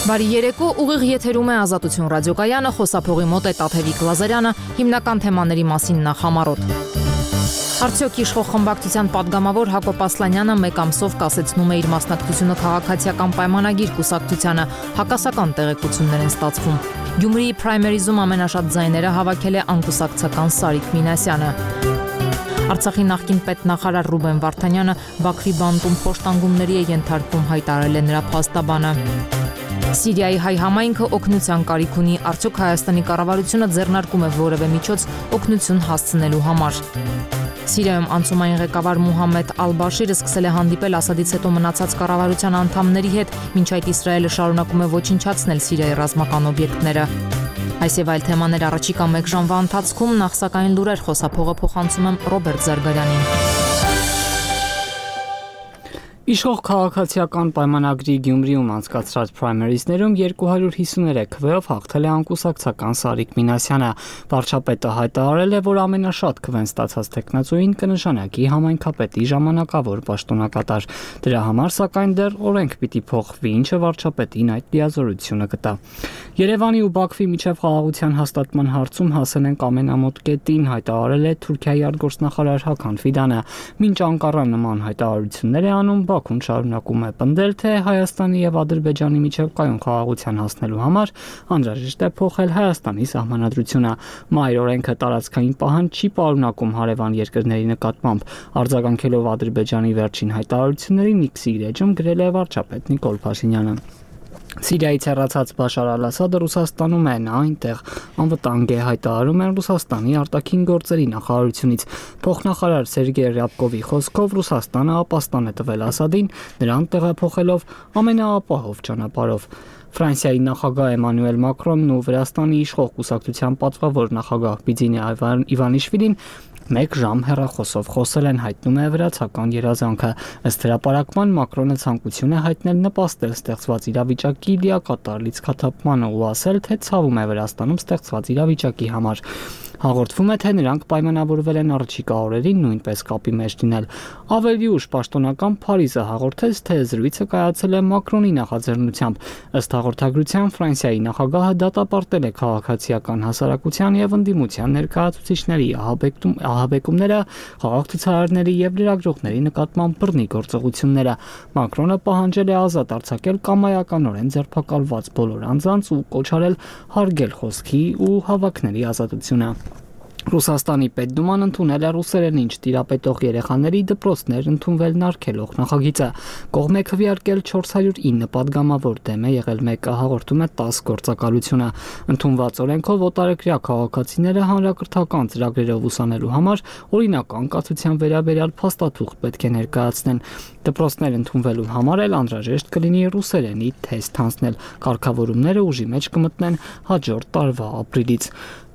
Բարի երեկո, ուղիղ եթերում է Ազատություն ռադիոկայանը, խոսափողի մոտ է Տաթևիկ Լազարյանը, հիմնական թեմաների մասին նախ համառոտ։ Արդյոք իշխող խմբակցության падգամավոր Հակոբ Ասլանյանը մեկ ամսով կասեցնում է իր մասնակցությունը քաղաքացիական պայմանագիր կուսակցությանը, հակասական տեղեկություններ են ստացվում։ Գյումրիի պրայմերիզում ամենաշատ ձայները հավաքել է անկուսակցական Սարիկ Մինասյանը։ Արցախի նախկին պետնախարար Ռուբեն Վարդանյանը Բաքվի բանտում խոշտանգումների է ենթարկվում, հայտարարել է նրա փաստաբանը։ Սիրիայի հայ համայնքը օգնության կարիք ունի, արդյոք Հայաստանի կառավարությունը ձեռնարկում է որևէ միջոց օգնություն հասցնելու համար։ Սիրիայում անցումային ղեկավար Մուհամմեդ Ալ-Բաշիրը սկսել է հանդիպել Ասադից հետո մնացած կառավարության անդամների հետ, մինչ այդ Իսրայելը շարունակում է ոչնչացնել Սիրիայի ռազմական օբյեկտները։ Այս եւ այլ թեմաներ առաջիկա մեկ ժամվա ընթացքում, նախ սակայն լուրեր, խոսափողը փոխանցում եմ Ռոբերտ Զարգարյանին։ Իշխող քաղաքացիական պայմանագրի Գյումրիում անցկացրած պրայմերիզներում 253 քվեով հաղթել է անկուսակցական Սարիկ Մինասյանը։ Վարչապետը հայտարարել է, որ ամենաշատ քվեն ստացած տեխնացուին կնշանակի համայնքապետի ժամանակավոր պաշտոնակատար։ Դրա համար սակայն դեռ օրենք պիտի փոխվի, ինչը վարչապետին այդ լիազորությունը կտա։ Երևանի ու Բաքվի միջև խաղաղության հաստատման հարցում հասել ենք ամենամոտ կետին, հայտարարել է Թուրքիայի արտգործնախարար Հական Ֆիդանը։ Մինչ Անկարան նման հայտարարություններ է անում, Բաքուն շարունակում է պնդել, թե Հայաստանի եւ Ադրբեջանի միջև կայուն խաղաղության հասնելու համար անհրաժեշտ է փոխել Հայաստանի սահմանադրությունը։ Մայր օրենքը տարածքային պահանջ չի պարունակում հարևան երկրների նկատմամբ։ Արձագանքելով Ադրբեջանի վերջին հայտարարություններին X-ի էջում գրել է վարչապետ Նիկոլ Փաշինյանը։ Սիրիայից հեռացած Բաշար Ալ-Ասադը Ռուսաստանում է, նա այնտեղ անվտանգ է, հայտարարում են Ռուսաստանի արտաքին գործերի նախարարությունից։ Փոխնախարար Սերգեյ Ռյաբկովի խոսքով Ռուսաստանը ապաստան է տվել Ասադին, նրան տեղափոխելով ամենաապահով ճանապարհով։ Ֆրանսիայի նախագահ Էմանուել Մակրոնն ու Վրաստանի իշխող կուսակցության պատվավոր նախագահ Բիձինե Իվանիշվիլին մեկ ժամ հեռախոսով խոսել են, հայտնում է վրացական երազանքը։ Ըստ հրապարակման Մակրոնը ցանկություն է հայտնել նպաստել ստեղծված իրավիճակի լիակատար լիցքաթափմանը ու ասել, թե ցավում է Վրաստանում ստեղծված իրավիճակի համար։ Հաղորդվում է, թե նրանք պայմանավորվել են առաջիկա օրերին նույնպես կապի մեջ լինել։ Ավելի ուշ պաշտոնական Փարիզը հաղորդեց, թե զրույցը կայացել է Մակրոնի նախաձեռնությամբ։ Ըստ հաղորդագրության Ֆրանսիայի նախագահը դատապարտել է քաղաքացիական հասարակության եւ ընդդիմության ներկայացուցիչների ահաբեկումները, խաղաղ ցուցարարների եւ լրագրողների նկատմամբ բռնի գործողությունները։ Մակրոնը պահանջել է ազատ արձակել կամայականորեն ձերբակալված բոլոր անձանց ու կոչ արել հարգել խոսքի ու հավաքների ազատությունը։ Ռուսաստանի Պետդուման ընդունել է ռուսերենին չտիրապետող երեխաների դպրոցներ ընդունվելն արգելող նախագիծը։ Կողմ է քվեարկել 409 падգամավոր, դեմ է եղել 1-ը, հաղորդում է 10 գործակալությունը։ Ընդունված օրենքով օտարերկրյա քաղաքացիները հանրակրթական ծրագրերով ուսանելու համար օրինական կացության վերաբերյալ փաստաթուղթ պետք է ներկայացնեն։ Դպրոցներ ընդունվելու համար էլ անհրաժեշտ կլինի ռուսերենի թեստ հանձնել։ Կարգավորումները ուժի մեջ կմտնեն հաջորդ տարվա ապրիլից։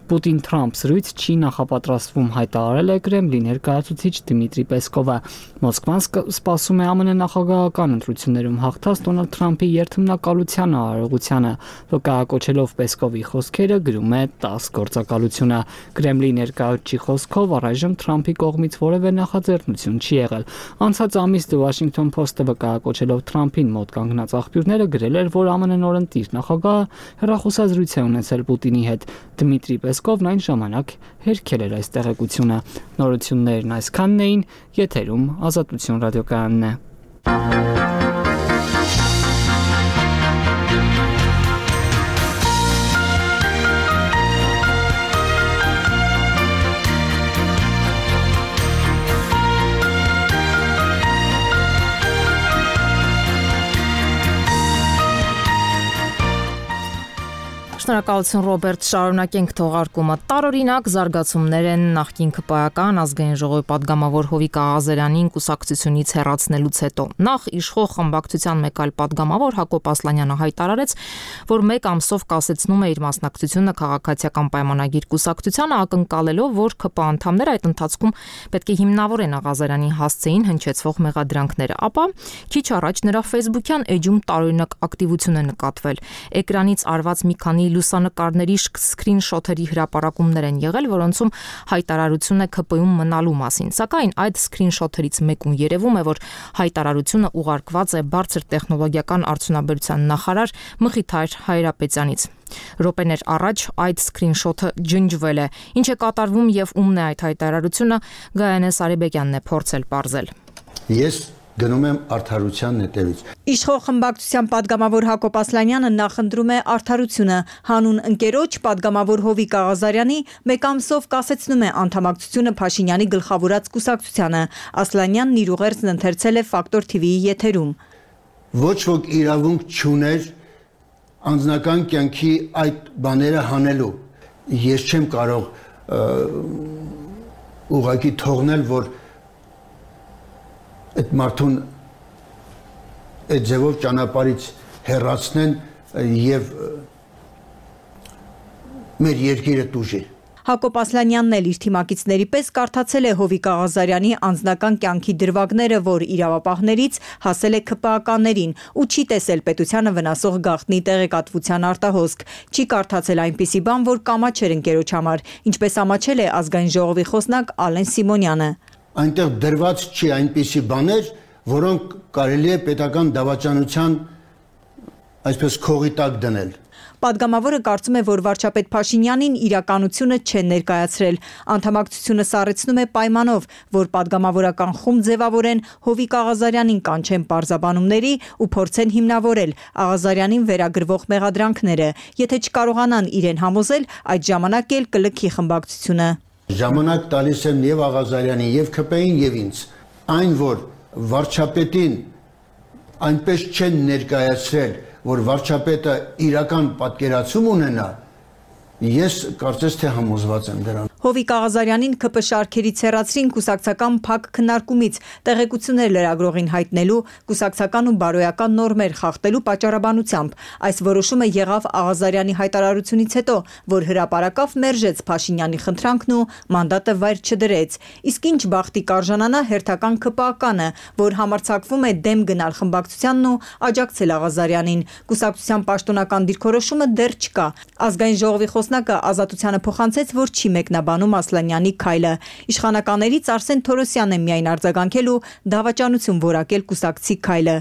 Պուտին-Թրամփ զրույց չի նախապատրաստվում, հայտարարել է Կրեմլի ներկայացուցիչ Դմիտրի Պեսկովը։ Մոսկվան սպասում է ԱՄՆ նախագահական ընտրություններում հաղթած Դոնալդ Թրամփի երթմնակալության արարողությանը։ Վկայակոչելով Պեսկովի խոսքերը գրում է 10 գործակալությունը։ Կրեմլի ներկայացուցիչի խոսքով առայժմ Թրամփի կողմից որևէ նախաձեռնություն չի եղել։ Անցած ամիս The Washington Post-ը վկայակոչելով Թրամփին մոտ կանգնած աղբյուրները գրել էր, որ ԱՄՆ նորընտիր նախագահը հեռախոսազրույց է ունեցել Պուտինի հետ։ Դմիտրի Պեսկովն այն ժամանակ հերքել էր այս տեղեկությունը։ Նորություններն այսքանն էին, եթերում Ազատություն ռադիոկայանն է։ Շնորհակալություն Ռոբերտ, շարունակենք թողարկումը։ Տարօրինակ զարգացումներ են նախկին ԿՊԱ-ական ազգային ժողովի падգամավոր Հովիկ Աղազարյանին կուսակցությունից հեռացնելուց հետո։ Նախ իշխող խմբակցության մեկ այլ падգամավոր Հակոբ Ասլանյանը հայտարարեց, որ մեկ ամսով կասեցնում է իր մասնակցությունը քաղաքացիական պայմանագիր կուսակցությանը, ակնկալելով, որ ԿՊԱ անդամները այդ ընթացքում պետք է հիմնավորեն Աղազարյանի հասցեին հնչեցվող մեղադրանքները, ապա քիչ առաջ նրա Facebook-յան էջում տարօրինակ ակտիվություն է նկատվել։ Էկրանից արված մի քանի լուսանկարների սկրինշոթերի հրապարակումներ են եղել, որոնցում հայտարարություն է ՔՊ-ում մնալու մասին։ Սակայն այդ սկրինշոթերից մեկում երևում է, որ հայտարարությունը ուղարկված է բարձր տեխնոլոգիական արդյունաբերության նախարար Մխիթար Հայրապետյանից։ Րոպեներ առաջ այդ սկրինշոթը ջնջվել է։ Ինչ է կատարվում եւ ումն է այդ հայտարարությունը, Գայանե Սարիբեկյանն է փորձել պարզել։ Ես գնում եմ արդարության նետերից։ Իշխող խմբակցության падգամավոր Հակոբ Ասլանյանը նախընտրում է արդարությունը։ Հանուն ընկերոջ падգամավոր Հովիկ Աղազարյանի մեկ ամսով կասեցնում է անդամակցությունը Փաշինյանի գլխավորած կուսակցությանը։ Ասլանյանն իր ուղերձն ընթերցել է Ֆակտոր TV-ի եթերում։ Ոչ ոք իրավունք չուներ անձնական կյանքի այդ բաները հանելու։ Ես չեմ կարող ուղղակի թողնել, որ այդ մարդուն այդ ձևով ճանապարհից հեռացնեն եւ մեր երկիրը տուժի։ Հակոբ Ասլանյանն էլ իր թիմակիցների պես կարդացել է Հովիկ Աղազարյանի անձնական կյանքի դրվագները, որ իրավապահներից հասել է ՔՊԱ-ականներին ու չի տեսել պետությանը վնասող գաղտնի տեղեկատվության արտահոսք։ Չի կարդացել այնպիսի բան, որ կամաչ էր ընկերոջ համար, ինչպես ամաչել է ազգային ժողովի խոսնակ Ալեն Սիմոնյանը։ Այնտեղ դրված չի այնպիսի բաներ, որոնք կարելի է պետական դավաճանության այսպես քողի տակ դնել։ Պատգամավորը կարծում է, որ վարչապետ Փաշինյանին իրականությունը չեն ներկայացրել։ Անդամակցությունը սառեցնում է պայմանով, որ պատգամավորական խումբ ձևավորեն Հովիկ Աղազարյանին կանչեն պարզաբանումների ու փորձեն հիմնավորել Աղազարյանին վերագրվող մեղադրանքները։ Եթե չկարողանան իրեն համոզել, այդ ժամանակ էլ կլքի խմբակցությունը։ Ժամանակ տալիս եմ եւ Աղազարյանին, եւ ՔՊ-ին, եւ ինձ։ Այն, որ վարչապետին այնպես չեն ներկայացրել, որ վարչապետը իրական պատկերացում ունենա, ես կարծես թե համոզված եմ դրան։ Հովիկ Աղազարյանին ՔՊ շարքերից հեռացրին կուսակցական փակ քննարկումից, տեղեկություններ լրագրողին հայտնելու, կուսակցական ու բարոյական նորմեր խախտելու պատճառաբանությամբ։ Այս որոշումը եղավ Աղազարյանի հայտարարությունից հետո, որ հրապարակավ մերժեց Փաշինյանի խնդրանքն ու մանդատը վայր չդրեց։ Իսկ ինչ բախտի կարժանանա հերթական ՔՊԱ-կանը, որ համարձակվում է դեմ գնալ խմբակցությանն ու աջակցել Աղազարյանին։ Կուսակցության պաշտոնական դիրքորոշումը դեռ չկա։ Ազգային ժողովի խոսնակը Ազատությանը փոխանցեց, որ չի մեկնաբանում Ասլանյանի քայլը։ Իշխանականներից Արսեն Թորոսյանն է միայն արձագանքել ու դավաճանություն որակել կուսակցի քայլը։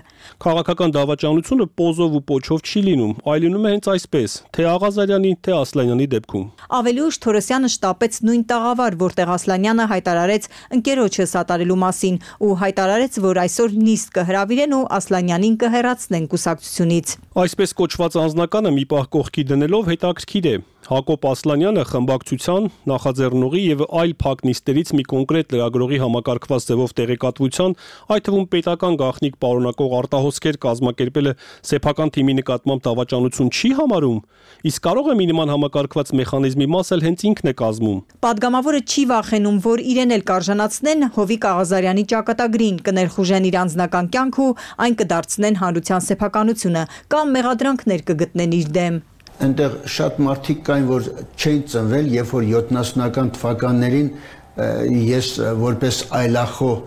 Քաղաքական դավաճանությունը պոզով ու պոչով չի լինում, այլ լինում է հենց այսպես, թե Աղազարյանի, թե Ասլանյանի դեպքում։ Ավելի ուշ Թորոսյանը շտապեց նույն տաղավար, որտեղ Ասլանյանը հայտարարեց ընկերոջը սատարելու մասին ու հայտարարեց, որ այսօր նիստ կհրավիրեն ու Ասլանյանին կհեռացնեն կուսակցությունից։ Այսպես կոչված անձնականը մի պահ կողքի դնելով հետաքրքիր է։ Հակոբ Ասլանյանը խմբակցության, նախաձեռնողի եւ այլ փակ նիստերից մի կոնկրետ լրագրողի համակարգված ձևով տեղեկատվության, այդ թվում պետական գաղտնիք պարունակող արտահոսքեր կազմակերպելը սեփական թիմի նկատմամբ դավաճանություն չի համարում, իսկ կարող է մի նման համակարգված մեխանիզմի մաս էլ հենց ինքն է կազմում։ Պատգամավորը չի վախենում, որ իրեն էլ կարժանացնեն Հովիկ Աղազարյանի ճակատագրին, կներխուժեն իր անձնական կյանք ու այն կդարձնեն հանրության սեփականությունը կամ մեղադրանքներ կգտնեն իր դեմ։ Այնտեղ շատ մարդիկ կային, որ չեն ծնվել, երբ որ 70-ական թվականներին ես որպես այլախոհ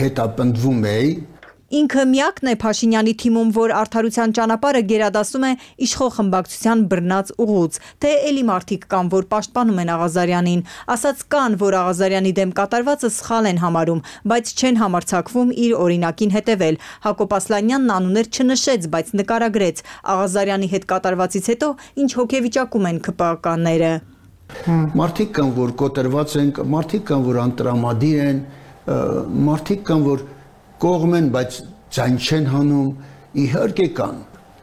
հետապնդվում էի։ Ինքը միակն է Փաշինյանի թիմում, որ արդարության ճանապարհը գերադասում է իշխող խմբակցության բռնած ուղուց, թե էլի մարդիկ կան, որ պաշտպանում են Աղազարյանին, ասած կան, որ Աղազարյանի դեմ կատարվածը սխալ են համարում, բայց չեն համարձակվում իր օրինակին հետևել։ Հակոբ Ասլանյանն անուններ չնշեց, բայց նկարագրեց Աղազարյանի հետ կատարվածից հետո ինչ հոգեվիճակում են ՔՊԱ-ականները։ Մարդիկ կան, որ կոտրված են, մարդիկ կան, որ անտրամադիր են, մարդիկ կան, որ կողմ են, բայց ձայն չեն հանում, իհարկե կան,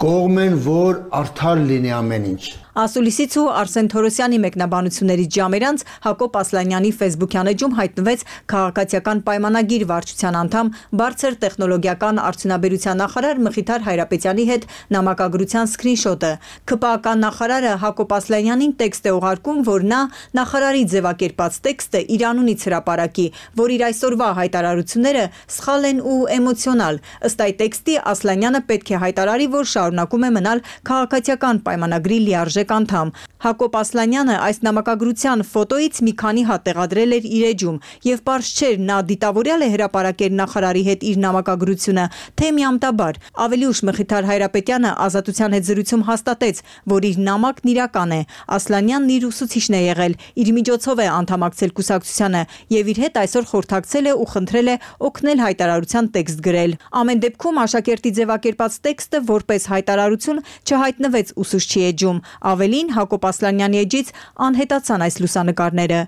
կողմ են, որ արդար լինի ամեն ինչ։ Ասուլիսից ու Արսեն Թորոսյանի մեկնաբանություններից ժամեր անց Հակոբ Ասլանյանի ֆեյսբուքյան էջում հայտնվեց քաղաքացիական պայմանագիր վարչության անդամ բարձր տեխնոլոգիական արդյունաբերության նախարար Մխիթար Հայրապետյանի հետ նամակագրության սկրինշոթը։ ՔՊԱ-ական նախարարը Հակոբ Ասլանյանին տեքստ է ուղարկում, որ նա նախարարի ձևակերպած տեքստը իր անունից հրապարակի, որ իր այսօրվա հայտարարությունները սխալ են ու էմոցիոնալ։ Ըստ այդ տեքստի Ասլանյանը պետք է հայտարարի, որ շարունակում է մնալ քաղաքացիական պայմանագրի լիարժեք լիարժեք անդամ։ Հակոբ Ասլանյանը այս նամակագրության ֆոտոից մի քանի հատ տեղադրել էր իր էջում եւ պարզ չէր նա դիտավորյալ է հրապարակել նախարարի հետ իր նամակագրությունը, թե միամտաբար։ Ավելի ուշ Մխիթար Հայրապետյանը Ազատության հետ զրույցում հաստատեց, որ իր նամակն իրական է։ Ասլանյանն իր ուսուցիչն է եղել, իր միջոցով է անդամակցել կուսակցությանը եւ իր հետ այսօր խորհրդակցել է ու խնդրել է օգնել հայտարարության տեքստ գրել։ Ամեն դեպքում աշակերտի ձևակերպած տեքստը որպես հայտարարություն չհայտնվեց ուսուցչի էջում։ Ավելին Հակոբ Ասլանյանի էջից անհետացան այս լուսանկարները։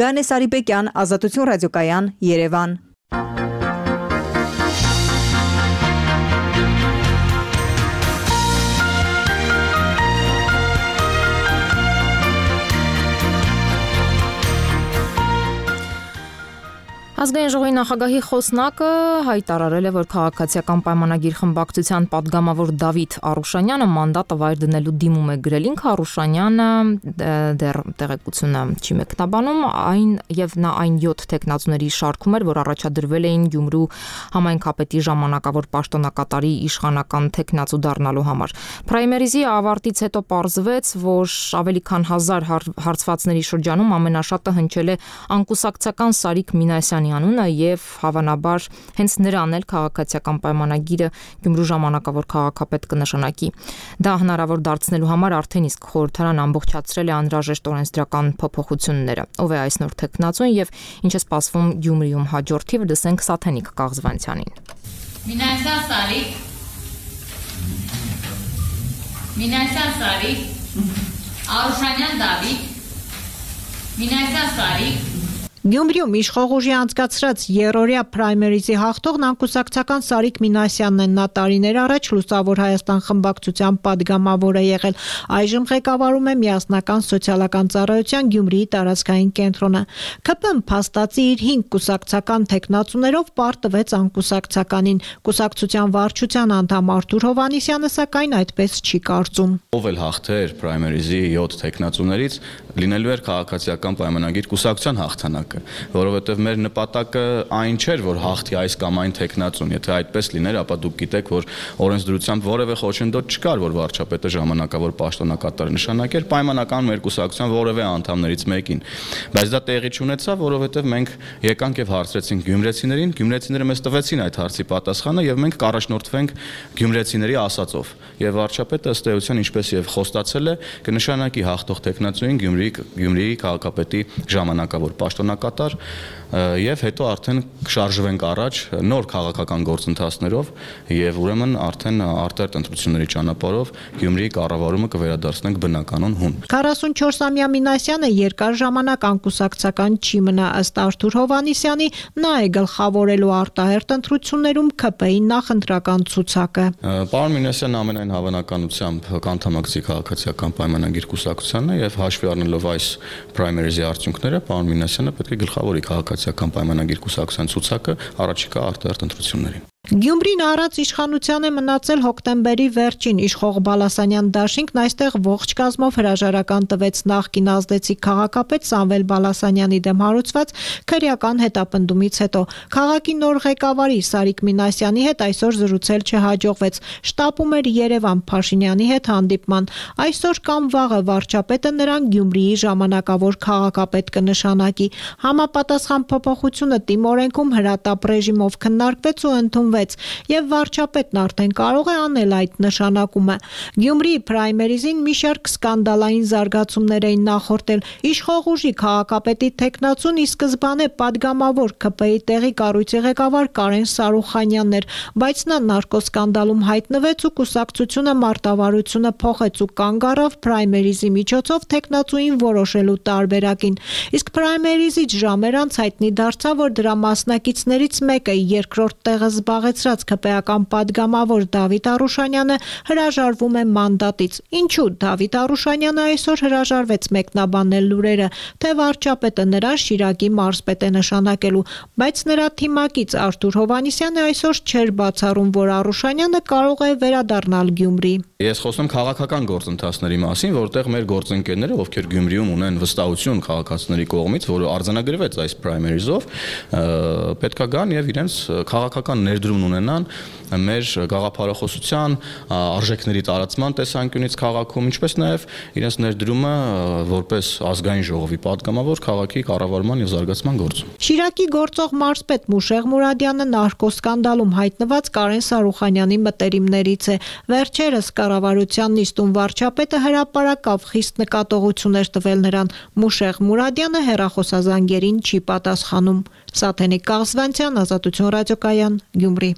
Գանե Սարիբեկյան, Ազատություն ռադիոկայան, Երևան։ Ազգային ժողովի նախագահի խոսնակը հայտարարել է, որ քաղաքացիական պայմանագիր խմբակցության падգամավոր Դավիթ Արուշանյանը մանդատը վայր դնելու դիմում է գրել։ Ինքը Արուշանյանը դեռ տեղեկությունը չի մեկնաբանում, եւ նա այն 7 տեխնացուների շարքում էր, որ առաջադրվել էին Գյումրու համայնքապետի ժամանակավոր պաշտոնակատարի իշխանական տեխնացու դառնալու համար։ Պրայմերիզի ավարտից հետո պարզվեց, որ ավելի քան 1000 հարցվածների շրջանում ամենաշատը հնչել է անկուսակցական Սարիկ Մինասյանի անունը եւ հավանաբար հենց նրան էլ քաղաքացիական պայմանագիրը Գյումրու ժամանակավոր քաղաքապետ կնշանակի։ Դա հնարավոր դարձնելու համար արդեն իսկ խորհրդարան ամբողջացրել է անհրաժեշտ օրենսդրական փոփոխությունները։ Ով է այս նոր տեխնացուն եւ ինչ է սպասվում Գյումրիում հաջորդ թիվը, դասենք Սաթենիկ Կաղզվանցյանին։ Մինասյան Սարիկ, Արուշանյան Դավիթ, Մինասյան Սարիկ Գյումրիում իշխող ուժի անցկացրած երրորդյա պրայմերիզի հաղթողն անկուսակցական Սարիկ Մինասյանն է։ Նա տարիներ առաջ Լուսավոր Հայաստան խմբակցության падգամավոր է եղել։ Այժմ ղեկավարում է Միասնական սոցիալական ծառայության Գյումրիի տարածքային կենտրոնը։ ՔՊ-ն փաստացի իր 5 կուսակցական տեխնացուներով պարտվեց անկուսակցականին։ Կուսակցության վարչության անդամ Արթուր Հովհաննիսյանը սակայն այդպես չի կարծում։ Ով էլ հաղթեր պրայմերիզի 7 տեխնացուներից լինելու էր քաղաքացիական պայմանագիր կուսակցության հաղթանակը, որովհետև մեր նպատակը այն չէր, որ հաղթի այս կամ այն տեխնացուն։ Եթե այդպես լիներ, ապա դուք գիտեք, որ օրենսդրությամբ որևէ խոչընդոտ չկար, որ վարչապետը ժամանակավոր պաշտոնակատար նշանակեր պայմանական մեր կուսակցության որևէ անդամներից մեկին։ Բայց դա տեղի չունեցավ, որովհետև մենք եկանք եւ հարցրեցինք գյումրեցիներին, գյումրեցիները մեզ տվեցին այդ հարցի պատասխանը եւ մենք կառաջնորդվենք գյումրեցիների ասածով։ Եվ վարչապետը ըստ էության, ինչպես եւ խոստացել է, կնշանակի հաղթող տեխնացուին Գյումրիի քաղաքապետի ժամանակավոր պաշտոնակատար եւ հետո արդեն կշարժվենք առաջ նոր քաղաքական գործընթացներով եւ ուրեմն արդեն արտերտ ընտրությունների ճանապարհով Գյումրիի կառավարումը կվերադարձնենք բնականon հուն։ 44-ամյա Մինասյանը երկար ժամանակ անկուսակցական չի մնա, ըստ Արթուր Հովհաննիսյանի, նա է գլխավորելու արտահերտ ընտրություններում ՔՊ-ի նախընտրական ցուցակը։ Պարոն Մինասյանը ամենայն հավանականությամբ կանդամակցի քաղաքացիական պայմանագիր կուսակցությանը եւ հաշվի առնելով այս պրայմերիզի արդյունքները, պարոն Մինասյանը պետք է գլխավորի քաղաքացիական պայմանագիր կուսակցության ցուցակը առաջիկա արտահերտ ընտրություններին։ Գյումրին առած իշխանության է մնացել հոկտեմբերի վերջին իշխող Բալասանյան դաշինքն այստեղ ողջ կազմով հրաժարական տվեց նախկին ազդեցիկ քաղաքապետ Սամվել Բալասանյանի դեմ հարուցված քրեական հետապնդումից հետո։ Քաղաքի նոր ղեկավարի Սարիկ Մինասյանի հետ այսօր զրուցել չհաջողվեց։ Շտապում էր Երևան Փաշինյանի հետ հանդիպման։ Այսօր կամ վաղը վարչապետը նրան Գյումրիի ժամանակավոր քաղաքապետ կնշանակի։ Համապատասխան փոփոխությունը տիմօրենքում հրատապ ռեժիմով քննարկվեց ու ընդունվեց եւ վարչապետն արդեն կարող է անել այդ նշանակումը։ Գյումրիի պրայմերիզին մի շարք սկանդալային զարգացումներ էին նախորդել։ Իշխող ուժի քաղաքապետի տեխնացուն ի սկզբանե падգամավոր ՔՊ-ի տեղի կառույցի ղեկավար Կարեն Սարուխանյանն էր, բայց նա նարկոսկանդալում հայտնվեց ու կուսակցությունը մարտավարությունը փոխեց ու կանգ առավ պրայմերիզի միջոցով տեխնացուին որոշելու տարբերակին։ Իսկ պրայմերիզից ժամեր անց հայտնի դարձավ, որ դրա մասնակիցներից մեկը երկրորդ տեղը զբաղեցրած ՔՊ-ական падգամավոր Դավիթ Արուշանյանը հրաժարվում է մանդատից։ Ինչու Դավիթ Արուշանյանը այսօր հրաժարվեց մեկնաբանել լուրերը, թե վարչապետը նրան Շիրակի մարզպետ է նշանակելու, բայց նրա թիմակից Արթուր Հովհաննիսյանը այսօր չէր բացառում, որ Արուշանյանը կարող է վերադառնալ Գյումրի։ Ես խոսում քաղաքական գործընթացների մասին, որտեղ մեր գործընկերները, ովքեր Գյումրիում ունեն վստահություն քաղաքացիների կողմից, որը արձանագրվեց այս պրայմերիզով, պետքա գան եւ իրենց քաղաքական ներդրում գոյություն ունենան մեր գաղափարախոսության, արժեքների տարածման տեսանկյունից քաղաքում, ինչպես նաև իրենց ներդրումը որպես ազգային ժողովի պատգամավոր քաղաքի կառավարման եւ զարգացման գործում։ Շիրակի գործող մարզպետ Մուշեղ Մուրադյանը նարկոսկանդալում հայտնված Կարեն Սարուխանյանի մտերիմներից է։ Վերջերս կառավարության նիստում վարչապետը հրապարակավ խիստ նկատողություններ տվել նրան։ Մուշեղ Մուրադյանը հեռախոսազանգերին չի պատասխանում։ Սաթենիկ Կաղզվանցյան, Ազատություն ռադիոկայան, Գյումրի։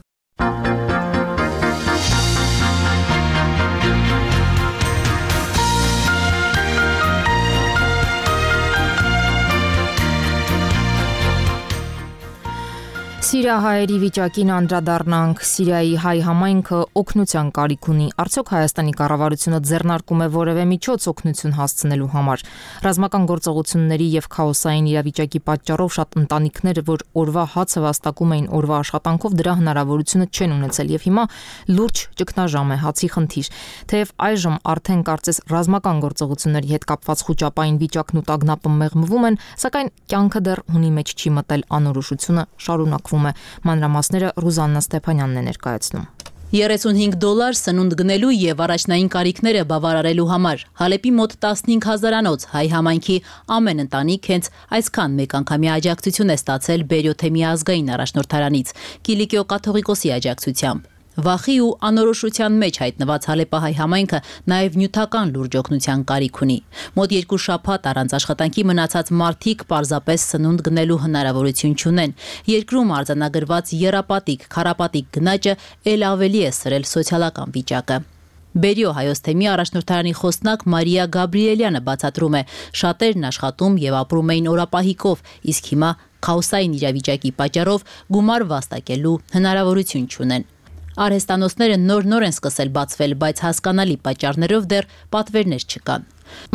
Սիրիահայերի վիճակին անդրադառնանք։ Սիրիայի հայ համայնքը օգնության կարիք ունի։ Արդյոք Հայաստանի կառավարությունը ձեռնարկում է որևէ միջոց օգնություն հասցնելու համար։ Ռազմական գործողությունների եւ քաոսային իրավիճակի պատճառով շատ ընտանիքներ, որ օրվա հացը վաստակում էին օրվա աշխատանքով, դրա հնարավորությունը չեն ունեցել եւ հիմա լուրջ ճգնաժամ է, հացի խնդիր։ Թեև այժմ արդեն կարծես ռազմական գործողությունների հետ կապված խոճապային վիճակն ու տագնապը մեղմվում են, սակայն կյանքը դեռ հունի մեջ չի մտել, անորոշությունը շարունակվում է։ Մանրամասները Ռուզաննա Ստեփանյանն է ներկայացնում։ $35 սնունդ գնելու եւ առաջնային կարիքները բավարարելու համար Հալեպի մոտ 15,000-անոց հայ համայնքի ամեն ընտանիք հենց այսքան մեկանգամյա աջակցություն է ստացել Բերյոթեմի ազգային առաջնորդարանից Կիլիկիո կաթողիկոսի աջակցությամբ։ Վախի ու անորոշության մեջ հայտնված Հալեպահայ համայնքը նաև նյութական լուրջ օգնության կարիք ունի։ Մոտ 2 շաբաթ առանց աշխատանքի մնացած մարդիկ պարզապես սնունդ գնելու հնարավորություն չունեն։ Երկրում արձանագրված եռապատիկ, քառապատիկ գնաճը ել ավելի է սրել սոցիալական վիճակը։ Բերյո հայոց թեմի առաջնորդարանի խոսնակ Մարիա Գաբրիելյանը բացատրում է, շատերն աշխատում եւ ապրում էին օրապահիկով, իսկ հիմա քաոսային իրավիճակի պատճառով գումար վաստակելու հնարավորություն չունեն։ Արհեստանոցները նոր են սկսել բացվել, բայց հասկանալի պատճառներով դեռ պատվերներ չկան։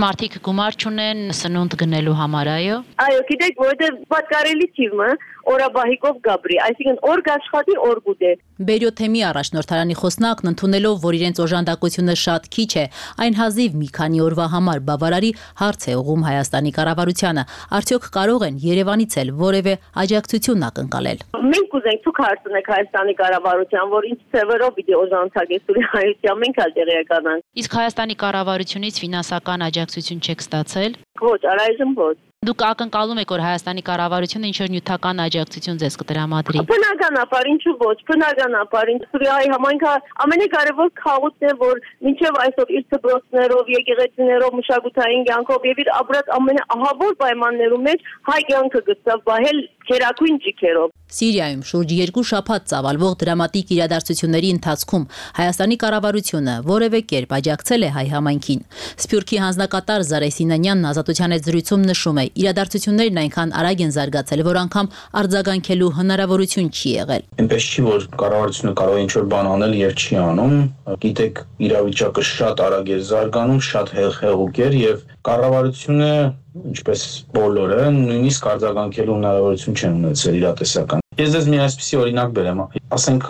Մարդիկ գումար չունեն սնունդ գնելու համար, այո։ Այո, գիտեք, որովհետև պատկառելի թիվը օրաբահիկով գաբրի, այսինքն օր գաշխատի, օր գուտե։ Բերյոթեմի առաջնորդարանի խոսնակն ընդունելով, որ իրենց օժանդակությունը շատ քիչ է, այն հազիվ մի քանի օրվա համար բավարարի, հարց է ուղղում Հայաստանի կառավարությանը։ Արդյոք կարող են Երևանից էլ որևէ աջակցություն ակնկալել։ Մենք կուզենք ցույց հարցնենք Հայաստանի կառավարության, որ ինչ ծևերով պիտի օժանդակես տուրի հայության, մենք էլ տեղեկանանք։ Իսկ Հայաստանի կառավարությունից ֆինանսական աջակցություն չեք ստացել։ Ոչ, առայժմ ոչ։ Դուք ակնկալում եք, որ Հայաստանի կառավարությունը ինչ-որ նյութական աջակցություն ձեզ կտրամադրի։ Բնականաբար, ինչու ոչ, բնականաբար, Սուրիայի համայնքը ամենակարևոր քաղաքն է, որ մինչև այսօր իր դպրոցներով, եկեղեցիներով, մշակութային կյանքով եւ իր ապրած ամենաահավոր պայմաններում մեջ հայ կյանքը գծավ բահել քերակույն ջիքերով։ Սիրիայում շուրջ 2 շաբաթ ծավալվող դրամատիկ իրադարձությունների ընթացքում Հայաստանի կառավարությունը որևէ կերպ աջակցել է հայ համայնքին։ Սփյուռքի հանձնակատար Զարե Սինանյանն Ազատության հետ զրույցում նշում է, իրադարձություններն այնքան արագ են զարգացել, որ անգամ արձագանքելու հնարավորություն չի եղել։ Այնպես չի, որ կառավարությունը կարող է ինչ-որ բան անել եւ չի անում։ Գիտեք, իրավիճակը շատ արագ է զարգանում, շատ հեղուկ է եւ կառավարությունը, ինչպես բոլորը, նույնիսկ արձագանքելու հնարավորություն չեն ունեցել իրատեսական։ Ես ձեզ մի այսպիսի օրինակ բերեմ, ասենք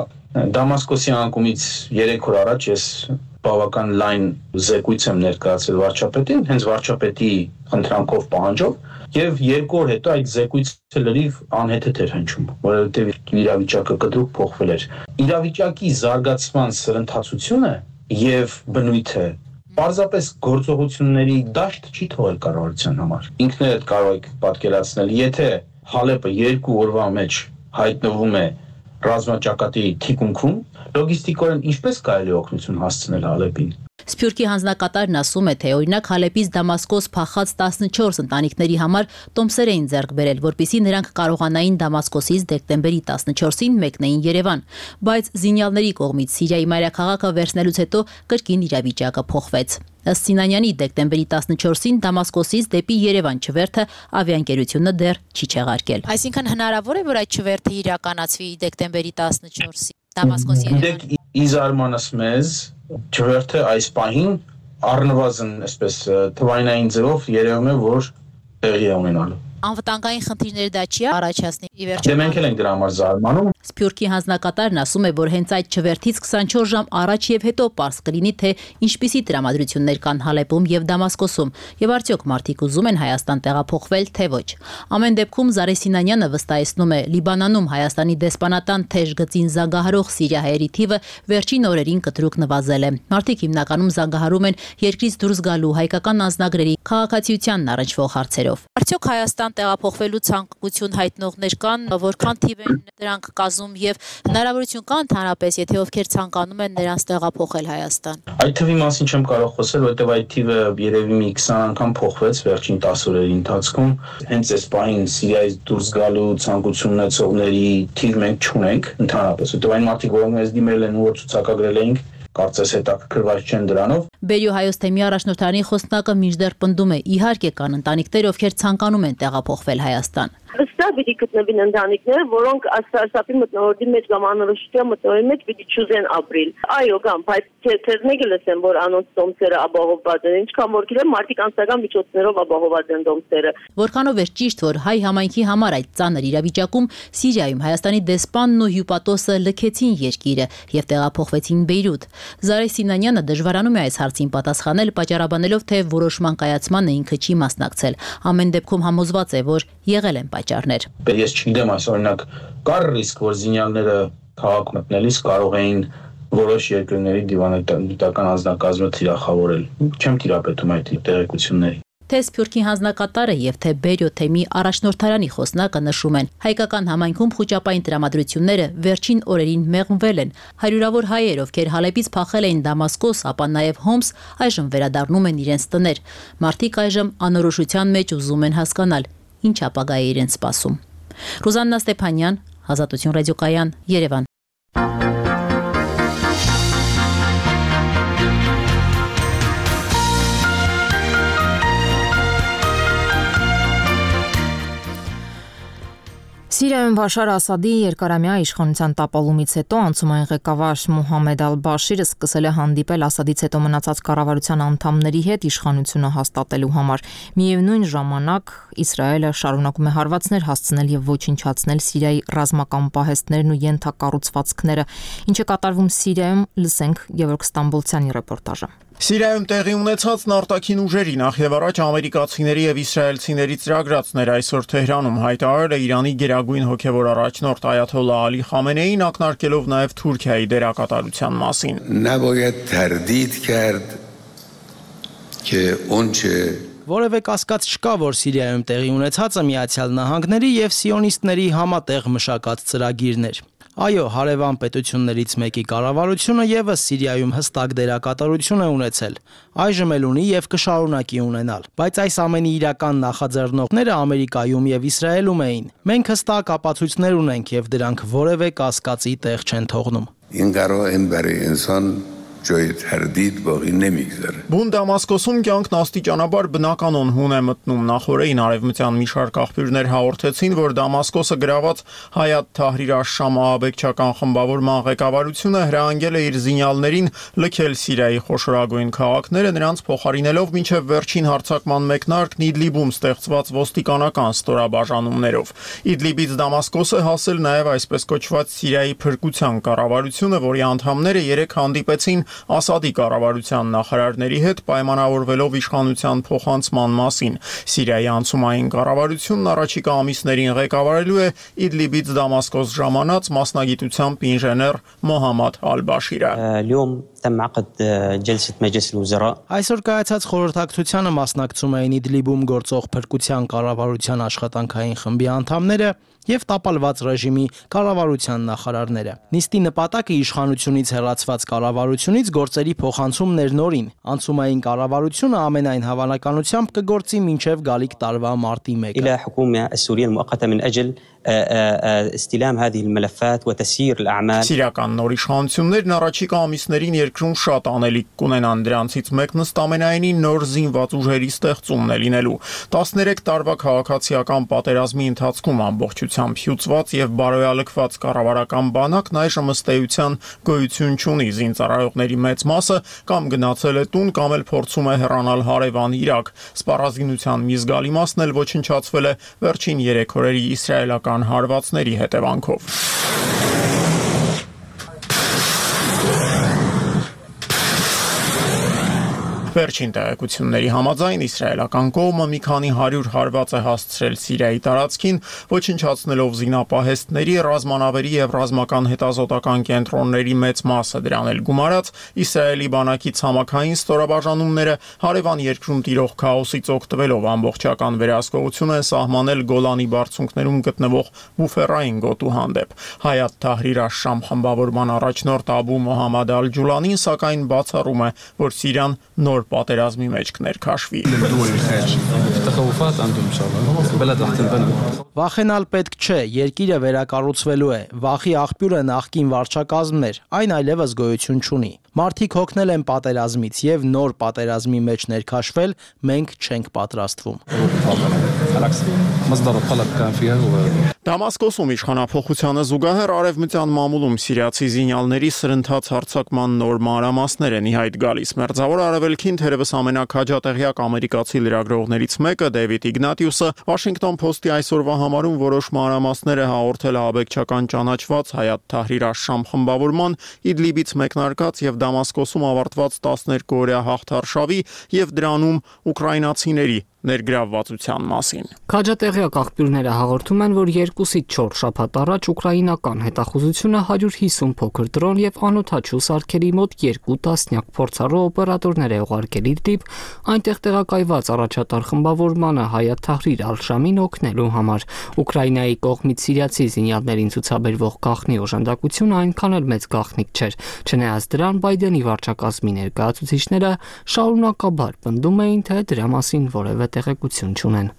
Դամասկոսի անկումից 3 օր առաջ ես բավական լայն զեկույց եմ ներկայացրել վարչապետին, հենց վարչապետի խնդրանքով, պահանջով, եւ 2 օր հետո այդ զեկույցը լրիվ անհեթեթ էր հնչում, որովհետեւ իրավիճակը կտրուկ փոխվել էր։ Իրավիճակի զարգացման սրընթացությունը եւ բնույթը պարզապես գործողությունների դաշտ չի թողել կառավարության համար։ Ինքներդ կարող եք պատկերացնել, եթե Հալեպը 2 օրվա մեջ հայտնվում է ռազմաճակատի թիկունքում, լոգիստիկորեն ինչպես կարելի է օգնություն հասցնել Հալեպին։ Սփյուռքի հանձնակատարն ասում է, թե օրինակ Հալեպից Դամասկոս փախած 14 ընտանիքների համար տոմսեր էին ձեռք բերել, որպեսզի նրանք կարողանային Դամասկոսից դեկտեմբերի 14-ին մեկնեին Երևան, բայց զինյալների կողմից Սիրիայի մայրաքաղաքը վերցնելուց հետո կրկին իրավիճակը փոխվեց։ Ըստ Սինանյանի դեկտեմբերի 14-ին Դամասկոսից դեպի Երևան չվերթը ավիաընկերությունը դեռ չի չեղարկել։ Այսինքն հնարավոր է, որ այդ չվերթը իրականացվի դեկտեմբերի 14-ի Դամասկոսի Երևան։ Իզարմանս մեզ չվերթը այս պահին առնվազն այսպես թվայնային ձևով երևում է, որ տեղի է ունենալու։ Անվտանգային խնդիրներ դա չի առաջացնի։ Դե մենք էլ ենք դրա համար զարմանում։ Սփյուռքի հանձնակատարն ասում է, որ հենց այդ չվերթից 24 ժամ առաջ եւ հետո պարզ կլինի, թե ինչպիսի տրամադրություններ կան Հալեպում եւ Դամասկոսում եւ արդյոք մարդիկ ուզում են Հայաստան տեղափոխվել, թե ոչ։ Ամեն դեպքում Զարե Սինանյանը վստահեցնում է, Լիբանանում Հայաստանի դեսպանատան թեժ գծին զանգահարող սիրիահայերի թիվը վերջին օրերին կտրուկ նվազել է։ Մարդիկ հիմնականում զանգահարում են երկրից դուրս գալու հայկական անձնագրերի քաղաքացիությանն առնչվող հարցերով։ Արդյոք Հայաստան տեղափոխվելու ցանկություն հայտնողներ կան, որքան թիվ են դրանք կազմում եւ հնարավորություն կա ընդհանրապես, եթե ովքեր ցանկանում են նրանց տեղափոխել Հայաստան։ Այդ թվի մասին չեմ կարող խոսել, որովհետեւ այդ թիվը երևի մի 20 անգամ փոխվեց վերջին 10 օրերի ընթացքում։ Հենց այս պահին Սիրիայից դուրս գալու ցանկություն ունեցողների թիվ մենք չունենք ընդհանրապես, որովհետեւ այն մարդիկ, որոնք մեզ դիմել են ու ցուցակագրել էինք, կարծես հետաքրքրված չեն դրանով։ Բերյո Հայոց թեմի առաջնորդարանի խոսնակը մինչդեռ պնդում է, իհարկե կան ընտանիքներ, ովքեր ցանկանում են տեղափոխվել Հայաստան։ Վստահ պիտի գտնվին ընտանիքներ, որոնք սարսափի մտնորդի մեջ կամ անորոշության մտնորդի մեջ պիտի չուզեն ապրիլ։ Այո, կամ, բայց թերթերն եկել լսեմ, որ անոնց դոմսերը ապահովված են, ինչքան որ գիտեմ, մարդիկ անձնական միջոցներով ապահովված են դոմսերը։ Որքանով է ճիշտ, որ հայ համայնքի համար այդ ծանր իրավիճակում Սիրիայում Հայաստանի դեսպանն ու հյուպատոսը լքեցին երկիրը եւ տեղափոխվեցին Բեյրութ։ Զարե Սինանյանը դժվարանում է այս հարցին պատասխանել, պատճառաբանելով, թե որոշման կայացմանը ինքը չի մասնակցել։ Ամեն դեպքում համոզված է, որ եղել են պատճառներ։ Ես չգիտեմ, այս օրինակ կար ռիսկ, որ զինյալները քաղաք մտնելիս կարող էին որոշ երկրների դիվանագիտական անձնակազմը թիրախավորել։ Չեմ տիրապետում այդ տեղեկությունների։ Թե Սփյուռքի հանձնակատարը եւ թե Բերյո թեմի առաջնորդարանի խոսնակը նշում են, հայկական համայնքում խոճապային տրամադրությունները վերջին օրերին մեղմվել են։ Հարյուրավոր հայեր, ովքեր Հալեպից փախել էին Դամասկոս, ապա նաեւ Հոմս, այժմ վերադառնում են իրենց տներ։ Մարդիկ այժմ անորոշության մեջ ուզում են հասկանալ, ինչ ապագա է իրենց սպասում։ Ռուզաննա Ստեփանյան, Ազատություն ռադիոկայան, Երևան։ Սիրիայում Բաշար Ասադի երկարամյա իշխանության տապալումից հետո անցումային ղեկավար Մոհամեդ Ալ-Բաշիրը սկսել է հանդիպել Ասադից հետո մնացած կառավարության անդամների հետ իշխանությունը հաստատելու համար։ Միևնույն ժամանակ Իսրայելը շարունակում է հարվածներ հասցնել եւ ոչնչացնել Սիրիայի ռազմական պահեստներն ու ենթակառուցվածքները, ինչը կատարվում Սիրիայում, լսենք Գևորգ Ստամբոլցյանի ռեպորտաժը։ Սիրիայում տեղի ունեցածն արտաքին ուժերի նախ եւ առաջ ամերիկացիների եւ իսրայելցիների ծրագրածներ այսօր Թեհրանում հայտարարել է Իրանի գերագույն հոգեվոր առաջնորդ Այաթոլլահ Ալի Խամենեին, ակնարկելով նաեւ Թուրքիայի դերակատարության մասին։ Որևէ կասկած չկա, որ Սիրիայում տեղի ունեցածը Միացյալ Նահանգների եւ սիոնիստների համատեղ մշակած ծրագիրն էր։ Այո, հարևան պետություններից մեկի կառավարությունը եւս Սիրիայում հստակ դերակատարություն է ունեցել, այժմ էլ ունի եւ կշարունակի ունենալ, բայց այս ամենի իրական նախաձեռնողները Ամերիկայում եւ Իսրայելում էին։ Մենք հստակ ապացույցներ ունենք եւ դրանք որևէ կասկածի տեղ չեն թողնում։ Բուն Դամասկոսում կյանքն աստիճանաբար բնականon հուն է մտնում։ Նախորդին արևմտյան մի շարք աղբյուրներ հաղորդեցին, որ Դամասկոսը գրաված Հայաթ Թահրիր աշ-Շամ ահաբեկչական խմբավորման ղեկավարությունը հրահանգել է իր զինյալներին լքել Սիրիայի խոշորագույն քաղաքները, նրանց փոխարինելով մինչև վերջին հարձակման մեկնարկն Իդլիբում ստեղծված ոստիկանական ստորաբաժանումներով։ Իդլիբից Դամասկոսը հասել նաև այսպես կոչված Սիրիայի փրկության կառավարությունը, որի անդամները երեք հանդիպեցին Ասադի կառավարության նախարարների հետ պայմանավորվելով իշխանության փոխանցման մասին։ Սիրիայի անցումային կառավարությունն առաջիկա ամիսներին ղեկավարելու է Իդլիբից Դամասկոս ժամանած մասնագիտությամբ ինժեներ Մոհամմադ Ալ-Բաշիրը։ Այսօր կայացած խորհրդակցությանը մասնակցում էին Իդլիբում գործող փրկության կառավարության աշխատանքային խմբի անդամները եւ տապալված ռեժիմի կառավարության նախարարները։ Նիստի նպատակը իշխանությունից հեռացված կառավարությունից գործերի փոխանցումն էր նորին։ Անցումային կառավարությունը ամենայն հավանականությամբ կգործի մինչև գալիք տարվա մարտի 1-ը։ استلام هذه الملفات وتسيير الأعمال. Սիրիական նոր իշխանություններն առաջիկա ամիսներին երկրում շատ անելիք կունենան, դրանցից մեկն ըստ ամենայնի նոր զինված ուժերի ստեղծումն է լինելու։ 13 տարվա քաղաքացիական պատերազմի ընթացքում ամբողջությամբ հյուծված եւ բարոյալքված կառավարական բանակն այժմ ըստ էության գոյություն չունի, զինծառայողների մեծ մասը կամ գնացել է տուն, կամ էլ փորձում է հեռանալ հարևան Իրաք։ Սպառազինության մի զգալի մասն էլ ոչնչացվել է վերջին 3 օրերի իսրայելական հարվածների հետևանքով։ Վերջին տեղեկությունների համաձայն իսրայելական կողմը մի քանի 100 հարված է հասցրել Սիրիայի տարածքին, ոչնչացնելով զինապահեստների, ռազմանավերի եւ ռազմական հետազոտական կենտրոնների մեծ մասը, դրան էլ գումարած Իսրայելի բանակի ցամաքային ստորաբաժանումները հարևան երկրում տիրող քաոսից օգտվելով ամբողջական վերահսկողություն են սահմանել Գոլանի բարձունքներում գտնվող բուֆերային գոտու հանդեպ։ Հայաթ Թահրիր աշ-Շամ խմբավորման առաջնորդ Աբու Մոհամմադ Ալ-Ջուլանին սակայն բացառում է, որ Սիրիան նոր պատերազմի մեջ կներքաշվի։ Վախենալ պետք չէ, երկիրը վերակառուցվելու է, վախի աղբյուրը նախկին վարչակազմներ, այն այլևս գոյություն չունի։ Մարդիկ հոգնել են պատերազմից եւ նոր պատերազմի մեջ ներքաշվել, մենք չենք պատրաստվում։ Դամասկոսում իշխանափոխությանը զուգահեռ արևմտյան մամուլում սիրիացի զինյալների սրընթաց հարձակման նոր մանրամասներ են ի հայտ գալիս։ Մերձավոր Արևելքին թերևս ամենաքաջատեղյակ ամերիկացի լրագրողներից մեկը Դեվիդ Իգնատիուսը Washington Post-ի այսօրվա համարում որոշ մանրամասներ է հաղորդել ահաբեկչական ճանաչված Հայաթ Թահրիր աշ-Շամ խմբավորման Իդլիբից մեկնարկած եւ Դամասկոսում ավարտված 12-օրյա հաղթարշավի եւ դրանում ուկրաինացիների ներգրավվածության մասին։ Քաջատեղյակ աղբյուրները հաղորդում են, որ 2-ից 4 շաբաթ առաջ ուկրաինական հետախուզությունը 150 փոքր դրոն եւ անօդաչու սարքերի մոտ 2 տասնյակ փորձառու օպերատորներ է ուղարկել Իդլիբ, այնտեղ տեղակայված առաջատար խմբավորմանը Հայաթ Թահրիր ալ-Շամին օգնելու համար։ Ուկրաինայի կողմից սիրիացի զինյալներին ցուցաբերվող գաղտնի օժանդակությունը այնքան էլ մեծ գաղտնիք չէր։ Չնայած դրան Բայդենի վարչակազմի ներկայացուցիչները շարունակաբար պնդում էին, թե դրա մասին որևէ տեղեկություն չունեն։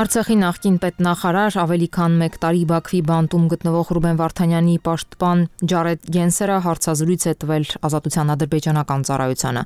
Արցախի նախկին պետնախարար ավելի քան 1 տարի Բաքվի բանտում գտնվող Ռուբեն Վարդանյանի պաշտպան Ջարեդ Գենսերը հարցազրույց է տվել Ազատության ադրբեջանական ծառայությանը։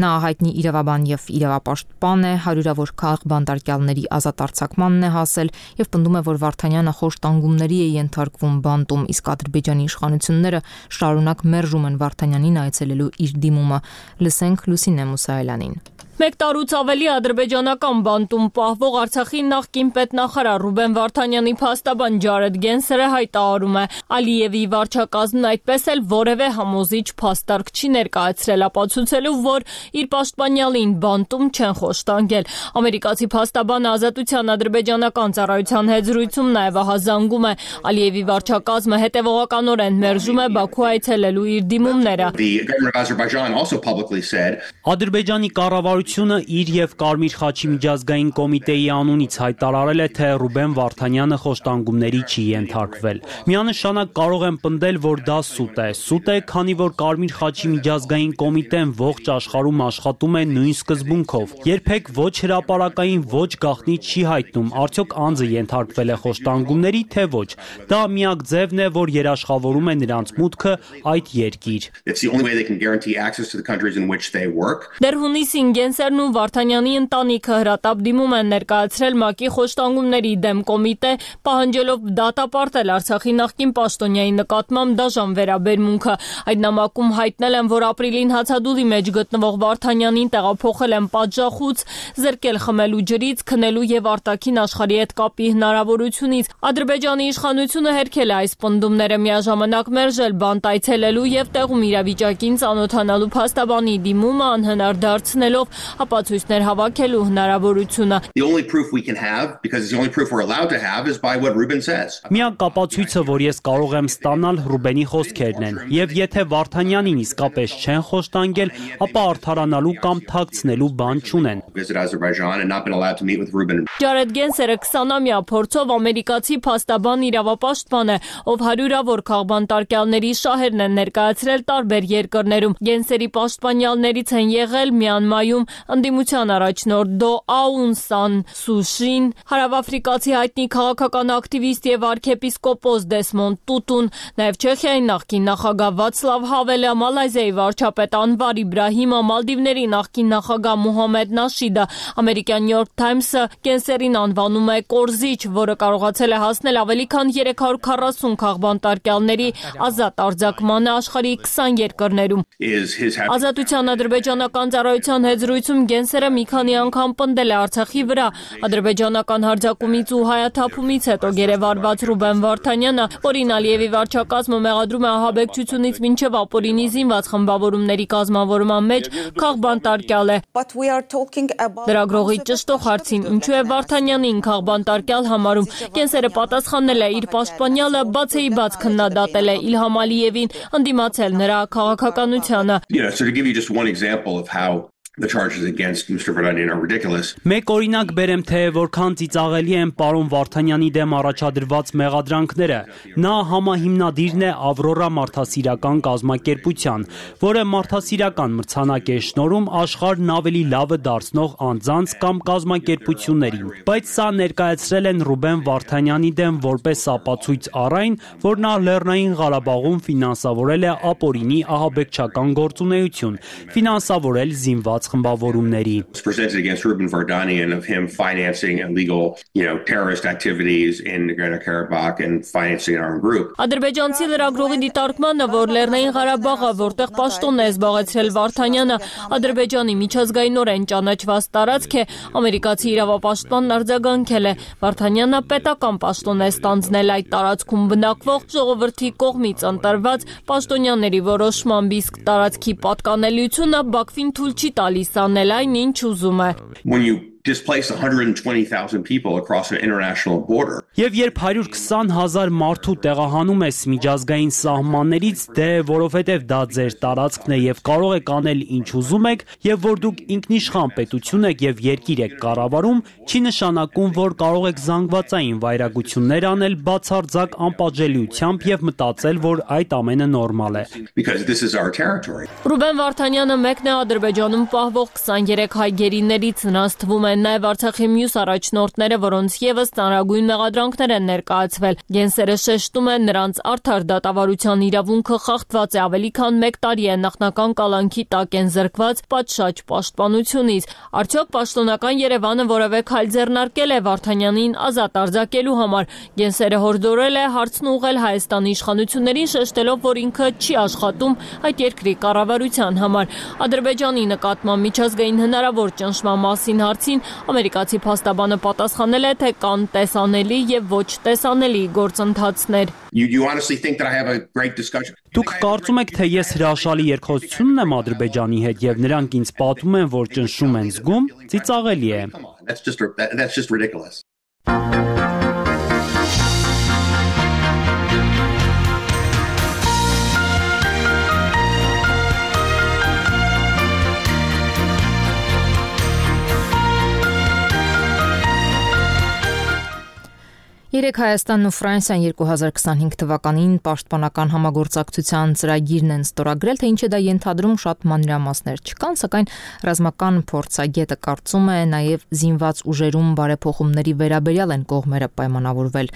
Նա հայտնի իրավաբան եւ իրավապաշտպան է, հարյուրավոր քաղաք բանտարկյալների ազատ արձակմանն է հասել եւ պնդում է, որ Վարդանյանը խոշտանգումների է ենթարկվում բանտում, իսկ Ադրբեջանի իշխանությունները շարունակ մերժում են Վարդանյանին այցելելու իր դիմումը։ Լսենք Լուսինե Մուսայելյանին։ 1 տարուց ավելի ադրբեջանական բանտում պահվող Արցախի նախկին պետնախարար Ռուբեն Վարդանյանի փաստաբան Ջարեդ Գենսերը հայտարարում է, Ալիևի վարչակազմն այդպես էլ որևէ համոզիչ փաստարկ չի ներկայացրել, ապացուցելով, որ իր պաշտպանյալին բանտում չեն խոշտանգել։ Ամերիկացի փաստաբանը Ազատության ադրբեջանական ծառայության հետ զրույցում նաև ահազանգում է, Ալիևի վարչակազմը հետևողականորեն մերժում է Բաքու այցելելու իր դիմումները։ Ադրբեջանի կառավարությունը իր եւ Կարմիր խաչի միջազգային կոմիտեի անունից հայտարարել է, թե Ռուբեն Վարդանյանը խոշտանգումների չի ենթարկվել։ Միանշանակ կարող եմ պնդել, որ դա սուտ է։ Սուտ է, քանի որ Կարմիր խաչի միջազգային կոմիտեն ողջ աշխարհում աշխատում է նույն սկզբունքով։ Երբեք ոչ հրապարակային, ոչ գաղտնի չի հայտնում, արդյոք անձը ենթարկվել է խոշտանգումների, թե ոչ։ Դա միակ ձևն է, որ երաշխավորում է նրանց մուտքը այդ երկիր։ Դեռ հունիսին Գենսերն ու Վարդանյանի ընտանիքը հրատապ դիմում են ներկայացրել ՄԱԿ-ի խոշտանգումների դեմ կոմիտե, պահանջելով դատապարտել Արցախի նախկին պաշտոնյայի նկատմամբ դաժան վերաբերմունքը։ Այդ նամակում հայտնել են, որ ապրիլին հացադուլի մեջ գտնվող Վարդանյանին տեղափոխել են պատժախուց, զրկել խմելու ջրից, քնելու եւ արտաքին աշխարհի հետ կապի հնարավորությունից։ Ադրբեջանի իշխանությունը հերքել է այս պնդումները, միաժամանակ մերժել բանտ այցելելու եւ տեղում իրավիճակին ծանոթանալու փաստաբանի դիմումը անհնար դարձնելով ապացույցներ հավաքելու հնարավորությունը։ Միակ ապացույցը, որ ես կարող եմ ստանալ, Ռուբենի խոսքերն են, եւ եթե Վարդանյանին իսկապես չեն խոշտանգել, ապա արդարանալու կամ թաքցնելու բան չունեն։ Ջարեդ Գենսերը 20-ամյա փորձով ամերիկացի փաստաբան իրավապաշտպան է, ով հարյուրավոր քաղբանտարկյալների շահերն են ներկայացրել տարբեր երկրներում։ Գենսերի պաշտպանյալներից են եղել Մյանմայում ընդդիմության առաջնորդ Դո Աուն Սան Սուշին, հարավաֆրիկացի հայտնի քաղաքական ակտիվիստ եւ արքեպիսկոպոս Դեսմոնդ Տուտուն, նաեւ Չեխիայի նախկին նախագահ Վացլավ Հավելը, Մալայզիայի վարչապետ Անվար Իբրահիմը, Մալդիվների նախկին նախագահ Մուհամմեդ Նաշիդը։ Ամերիկյան New York Times-ը Գենսերին անվանում է կորզիչ, որը կարողացել է հասնել ավելի քան 340 քաղբանտարկյալների ազատ արձակմանը աշխարհի 20 երկրներում։ Ազատության ադրբեջանական ծառայության հետ զրույցում Գենսերը մի քանի անգամ պնդել է Արցախի վրա ադրբեջանական հարձակումից ու հայաթափումից հետո գերեվարված Ռուբեն Վարդանյանը, որին Ալիևի վարչակազմը մեղադրում է ահաբեկչությունից մինչև ապօրինի զինված խմբավորումների կազմավորման մեջ քաղբանտարկյալ է։ Լրագրողի ճշտող հարցին, ինչու է Վարդանյանին քաղբանտարկյալ համարում, Գենսերը պատասխանել է, իր պաշտպանյալը բացեիբաց քննադատել է Իլհամ Ալիևին, ընդդիմացել նրա քաղաքականությանը։ The charges against Mr. Vardanyan are ridiculous. Մեկ օրինակ բերեմ, թե որքան ծիծաղելի են պարոն Վարդանյանի դեմ առաջադրված մեղադրանքները։ Նա համահիմնադիրն է Ավրորա մարդասիրական կազմակերպության, որը մարդասիրական մրցանակ է շնորհում աշխարհն ավելի լավը դարձնող անձանց կամ կազմակերպություններին։ Բայց սա ներկայացրել են Ռուբեն Վարդանյանի դեմ որպես ապացույց առ այն, որ նա Լեռնային Ղարաբաղում ֆինանսավորել է ապօրինի ահաբեկչական գործունեություն, ֆինանսավորել զինված խմբավորումների։ Presented against Ruben Vardanyan of him financing illegal, terrorist activities in Nagorno-Karabakh and financing our own group. Ադրբեջանցի լրագրողի դիտարկմանը, որ Լեռնային Ղարաբաղը, որտեղ պաշտոնն է զբաղեցրել Վարդանյանը, Ադրբեջանի միջազգայինորեն ճանաչված տարածք է, ամերիկացի իրավապաշտպանն արձագանքել է։ Վարդանյանը պետական պաշտոն է ստանձնել այդ տարածքում բնակվող ժողովրդի կողմից ընտրված պաշտոնյաների որոշմամբ, իսկ տարածքի պատկանելիությունը Բաքվին թույլ չի տալիս անել այն, ինչ ուզում է։ When you displace 120,000 people across an international border. Եվ երբ 120,000 մարդու տեղահանում ես միջազգային սահմաններից, որովհետև դա ձեր տարածքն է եւ կարող եք անել ինչ ուզում եք, եւ որ դուք ինքնիշխան պետություն եք եւ երկիր եք կառավարում, չի նշանակում, որ կարող եք զանգվածային վայրագություններ անել բացարձակ անպատժելիությամբ եւ մտածել, որ այդ ամենը նորմալ է։ Because this is our territory. Ռուբեն Վարդանյանը մեկն է Ադրբեջանում պահվող 23 հայ գերիներից, նրանց թվում են նաև Արցախի մյուս առաջնորդները, որոնց ևս ծանրագույն մեղադրանքներ են ներկայացվել։ Գենսերը շեշտում է, նրանց արդար դատավարության իրավունքը խախտված է, ավելի քան 1 տարի է նախնական կալանքի տակ են զրկված պատշաճ պաշտպանությունից։ Արդյոք պաշտոնական Երևանը որևէ քայլ ձեռնարկել է Վարդանյանին ազատ արձակելու համար։ Գենսերը հորդորել է հարցն ուղղել Հայաստանի իշխանություններին, շեշտելով, որ ինքը չի աշխատում այդ երկրի կառավարության համար։ Ադրբեջանի նկատմամբ միջազգային հնարավոր ճնշման մասին հարցին ամերիկացի փաստաբանը պատասխանել է, թե կան տեսանելի եւ ոչ տեսանելի գործընթացներ։ Դուք կարծում եք, թե ես հրաշալի երկխոսություն ունեմ Ադրբեջանի հետ եւ նրանք ինձ պատմում են, որ ճնշում են զգում, ծիծաղելի է։ That's just ridiculous. Երեք Հայաստանն ու Ֆրանսիան 2025 թվականին պաշտպանական համագործակցության ծրագիրն են ստորագրել, թե ինչը դա ենթադրում շատ մանրամասներ չկան, սակայն ռազմական փորձագետը կարծում է նաև զինված ուժերում բարեփոխումների վերաբերյալ են կողմերը պայմանավորվել։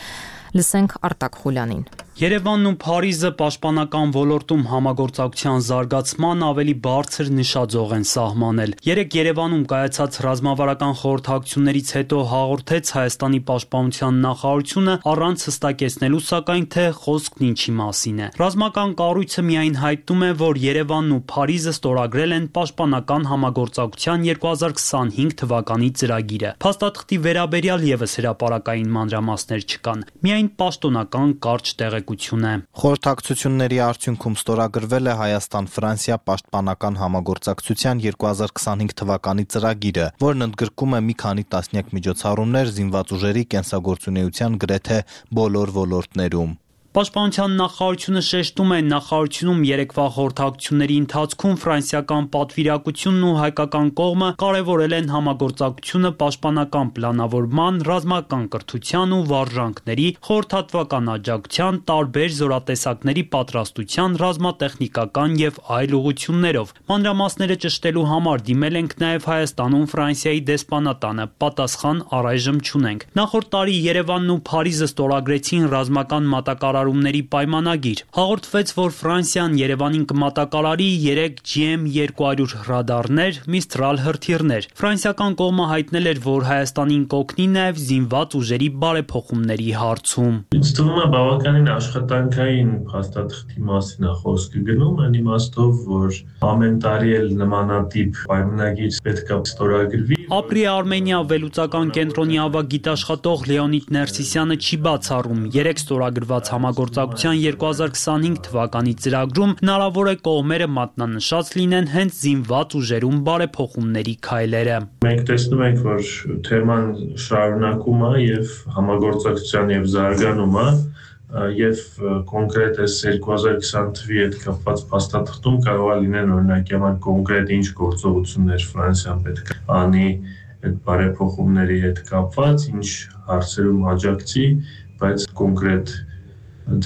Լսենք Արտակ Խուլյանին։ Երևանն ու Փարիզը պաշտպանական ոլորտում համագործակցության զարգացման ավելի բարձր նշաձող են սահմանել։ Երեք Երևանում կայացած ռազմավարական խորհրդակցություններից հետո հաղորդեց Հայաստանի պաշտպանության նախարարությունը առանց հստակեցնելու, սակայն թե խոսքն ինչի մասին է։ Ռազմական կառույցը միայն հայտնում է, որ Երևանն ու Փարիզը ստորագրել են պաշտպանական համագործակցության 2025 թվականի ծրագիրը։ Փաստաթղթի վերաբերյալ եւս հրապարակային մանրամասներ չկան։ Միայն պաշտոնական կարճ տեղեկություններ տեղեկություն է։ Խորհրդակցությունների արդյունքում ստորագրվել է Հայաստան-Ֆրանսիա պաշտպանական համագործակցության 2025 թվականի ծրագիրը, որն ընդգրկում է մի քանի տասնյակ միջոցառումներ զինված ուժերի կենսագործունեության գրեթե բոլոր ոլորտներում։ Պաշտպանության նախարարությունը շեշտում է, նախարարությունում երեկվա խորհրդակցությունների ընթացքում ֆրանսիական պատվիրակությունն ու հայկական կողմը կարևորել են համագործակցությունը պաշտպանական պլանավորման, ռազմական կրթության ու վարժանքների, խորհրդատվական աջակցության, տարբեր զորատեսակների պատրաստության, ռազմատեխնիկական եւ այլ ուղղություններով։ Մանրամասները ճշտելու համար դիմել ենք նաեւ Հայաստանում Ֆրանսիայի դեսպանատանը, պատասխան առայժմ չունենք։ Նախորդ տարի Երևանն ու Փարիզը ստորագրեցին ռազմական մատակարարումների պայմանագիր։ Հաղորդվեց, որ Ֆրանսիան Երևանին կմատակարարի 3 GM200 ռադարներ, Mistral հրթիռներ։ Ֆրանսիական կողմը հայտնել էր, որ Հայաստանին կօգնի նաև զինված ուժերի բարեփոխումների հարցում։ Ինձ թվում է բավականին աշխատանքային փաստաթղթի մասին է խոսքը գնում, այն իմաստով, որ ամեն տարի էլ նմանատիպ պայմանագիր պետք է ստորագրվի։ Ապրի Արմենիա վերլուծական կենտրոնի ավագ գիտաշխատող Լեոնիդ Ներսիսյանը չի բացառում, 3 ստորագրված համագործակցության 2025 թվականի ծրագրում հնարավոր է կողմերը մատնանշած լինեն հենց զինված ուժերում բարեփոխումների քայլերը։ Մենք տեսնում ենք, որ թեման շարունակում է եւ համագործակցության եւ զարգանում է եւ կոնկրետ այս 2020 թվականի հետ կապված փաստաթղթում կարող է լինել օրինակ համար կոնկրետ ինչ գործողություններ Ֆրանսիան պետք է անի այդ բարեփոխումների հետ կապված, ինչ հարցերում աջակցի, բայց կոնկրետ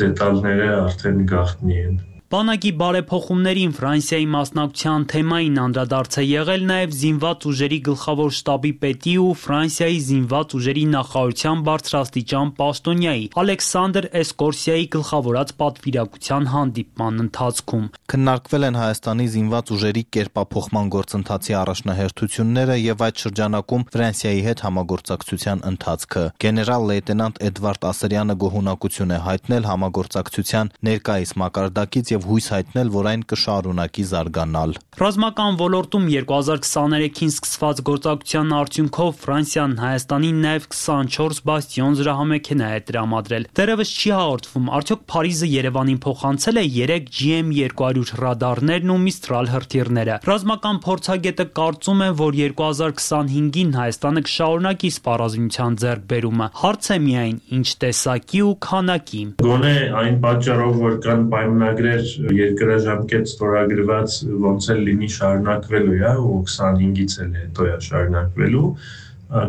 դետալները արդեն գաղտնի են։ Բանակի բարեփոխումներին Ֆրանսիայի մասնակցության թեմային անդրադարձ է եղել նաև զինված ուժերի գլխավոր շտաբի պետի ու Ֆրանսիայի զինված ուժերի նախարարության բարձրաստիճան պաշտոնյայի Ալեքսանդր Էսկորսիայի գլխավորած պատվիրակության հանդիպման ընթացքում։ Քննարկվել են Հայաստանի զինված ուժերի կերպափոխման գործընթացի առաջնահերթությունները եւ այդ շրջանակում Ֆրանսիայի հետ համագործակցության ընթացքը։ Գեներալ լեյտենանտ Էդվարդ Ասրյանը գոհունակություն է հայտնել համագործակցության ներկայիս մակարդակից եւ հույս հայտնել, որ այն կշարունակի զարգանալ։ Ռազմական ոլորտում 2023-ին սկսված գործակցության արդյունքով Ֆրանսիան Հայաստանին նաև 24 բաստիոն զրահամեքենա է տրամադրել։ Դեռևս չի հաղորդվում, արդյոք Փարիզը Երևանին փոխանցել է 3 GM200 ռադարներն ու Mistral հրթիռները։ Ռազմական փորձագետը կարծում է, որ 2025-ին Հայաստանը կշարունակի սպառազինության ձեռքբերումը։ Հարց է միայն ինչ տեսակի ու քանակի։ Գոնե այն պատճառով, որ կան պայմանագրեր երկրաժամկետ ստորագրված ոնց էլ լինի շարունակվելու է ու 25-ից էլ հետո է շարունակվելու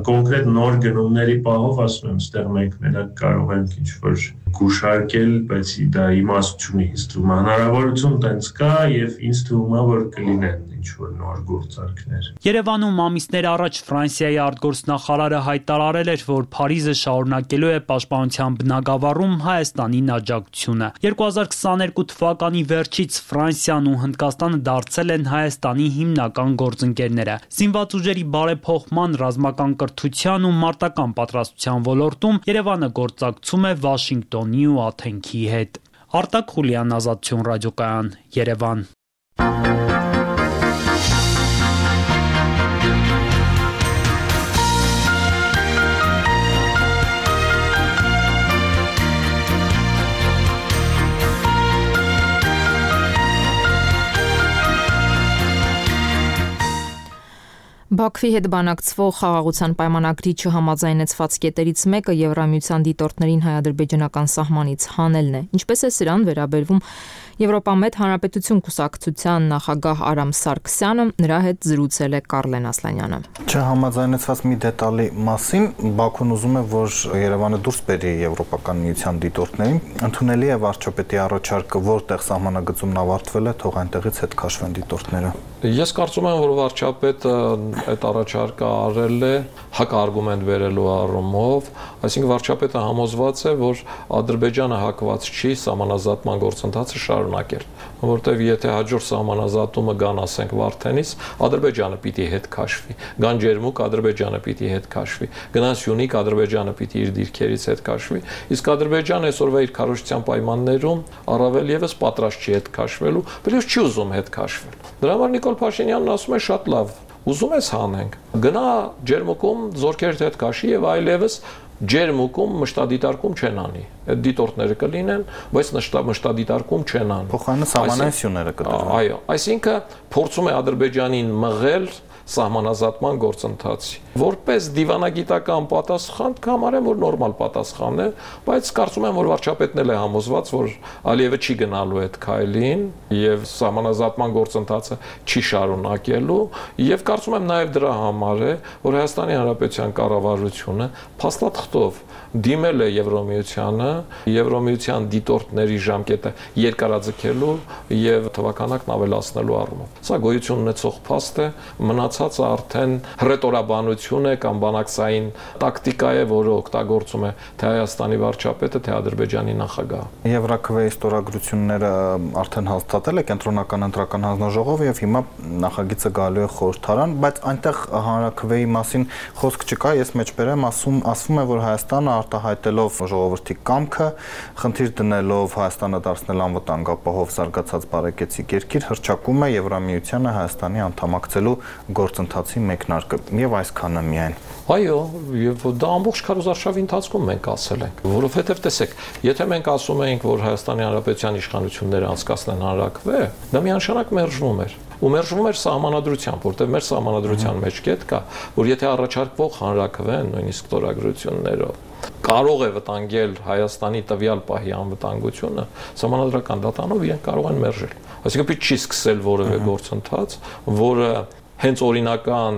կոնկրետ նոր գնումների պահով ասում եմ ստեղ մենք մենակ կարող ենք ինչ-որ գուշարկել, բայց դա իմաստ չունի, ինձ թվում է հնարավորություն տենց կա եւ ինձ թվում է որ կլինեն ինչ-որ նոր գործարքներ։ Երևանում ամիսներ առաջ Ֆրանսիայի արտգործնախարարը հայտարարել էր, որ Փարիզը շարունակելու է պաշտպանության բնագավառում Հայաստանին աջակցությունը։ 2022 թվականի վերջից Ֆրանսիան ու Հնդկաստանը դարձել են Հայաստանի հիմնական գործընկերները։ Զինված ուժերի բարեփոխման, ռազմական կրթության ու մարտական պատրաստության ոլորտում Երևանը գործակցում է Վաշինգտոնի ու Աթենքի հետ։ Արտակ Խուլյան, Ազատություն ռադիոկայան, Երևան։ Բաքվի հետ բանակցվող խաղաղության պայմանագրի չհամաձայնեցված կետերից մեկը Եվրամիության դիտորդներին հայ-ադրբեջանական սահմանից հանելն է։ Ինչպես է սրան վերաբերվում Եվրոպամետ Հանրապետություն կուսակցության նախագահ Արամ Սարգսյանը, նրա հետ զրուցել է Կարլեն Ասլանյանը։ Չհամաձայնեցված մի դետալի մասին Բաքուն ուզում է, որ Երևանը դուրս բերի Եվրոպական միության դիտորդներին, ընդունելի է վարչապետի առաջարկը, որտեղ սահմանագծումն ավարտվել է, թող այնտեղից հետ քաշվեն դիտորդները։ Ես կարծում եմ, որ վարչապետը այդ առաջարկը արել է հակարգումենտ վերելու առումով, այսինքն վարչապետը համոզված է, որ Ադրբեջանը հակված չի սահմանազատման գործընթացը շարունակել, որտեղ եթե հաջորդ սահմանազատումը գան, ասենք Վարդենից, Ադրբեջանը պիտի հետ քաշվի, գան Ջերմուկ, Ադրբեջանը պիտի հետ քաշվի, գնան Սյունիք, Ադրբեջանը պիտի իր դիրքերից հետ քաշվի, իսկ Ադրբեջանը այսօրվա իր քարոզչության պայմաններում առավել եւս պատրաստ չի հետ քաշվելու, բայց չի ուզում հետ քաշվել։ Դրա համար Նիկոլ Փաշինյանն ասում է շատ լավ, ուզում ես հանենք, գնա Ջերմուկում զորքերդ հետ քաշի եւ այլևս ջերմուկում մշտադիտարկում չեն անի։ Այդ դիտորդները կլինեն, բայց մշտադիտարկում չեն անի։ Փոխանցած համանայությունները կդրվեն։ Այո, այսինքն փորձում է Ադրբեջանին մղել սահմանազատման գործընթացի։ Որպես դիվանագիտական պատասխան կհամարեմ, որ նորմալ պատասխան է, բայց կարծում եմ, որ վարչապետն էլ է համոզված, որ Ալիևը չի գնալու այդ քայլին եւ սահմանազատման գործընթացը չի շարունակելու, եւ կարծում եմ նաեւ դրա համար է, որ Հայաստանի Հանրապետության կառավարությունը փաստաթղթով դիմել է Եվրոմիությանը, Եվրոմիության դիտորդների ժամկետը երկարաձգելու եւ թվականակն ավելացնելու առումով։ Սա գոյություն ունեցող փաստ է, մնացածը արդեն հռետորաբանություն է կամ բանակցային տակտիկա է, որը օգտագործում է թե Հայաստանի վարչապետը, թե Ադրբեջանի նախագահը։ Եվրաքվեի ստորագրությունները արդեն հաստատել է Կենտրոնական ընտրական հանձնաժողովը եւ հիմա նախագիծը գալու է խորհրդարան, բայց այնտեղ հանրաքվեի մասին խոսք չկա, ես մեջբերեմ ասվում է, որ Հայաստանը արտահայտելով ժողովրդի կամքը, խնդիր դնելով Հայաստանը դարձնել անվտանգապահով զարգացած բարեկեցիկ երկիր, հռչակում է Եվրամիությանը Հայաստանի անդամակցելու գործընթացի մեկնարկը եւ այսքանը միայն։ Այո, եւ դա ամբողջ քարոզարշավի ընթացքում մենք ասել ենք, որովհետեւ տեսեք, եթե մենք ասում էինք, որ Հայաստանի Հանրապետության իշխանությունները անցկացնեն հանրաքվե, դա միանշանակ մերժվում էր։ Ու մերժվում էր սահմանադրությամբ, որտեղ մեր սահմանադրության մեջ կետ կա, որ եթե առաջարկվող հանրաքվեն, նույնիսկ ստորագրություններով կարող է վտանգել Հայաստանի տվյալ պահի անվտանգությունը, սահմանադրական դատանով իրենք կարող են մերժել։ Այսինքն պիտի չի սկսել որևէ գործընթաց, որը հենց օրինական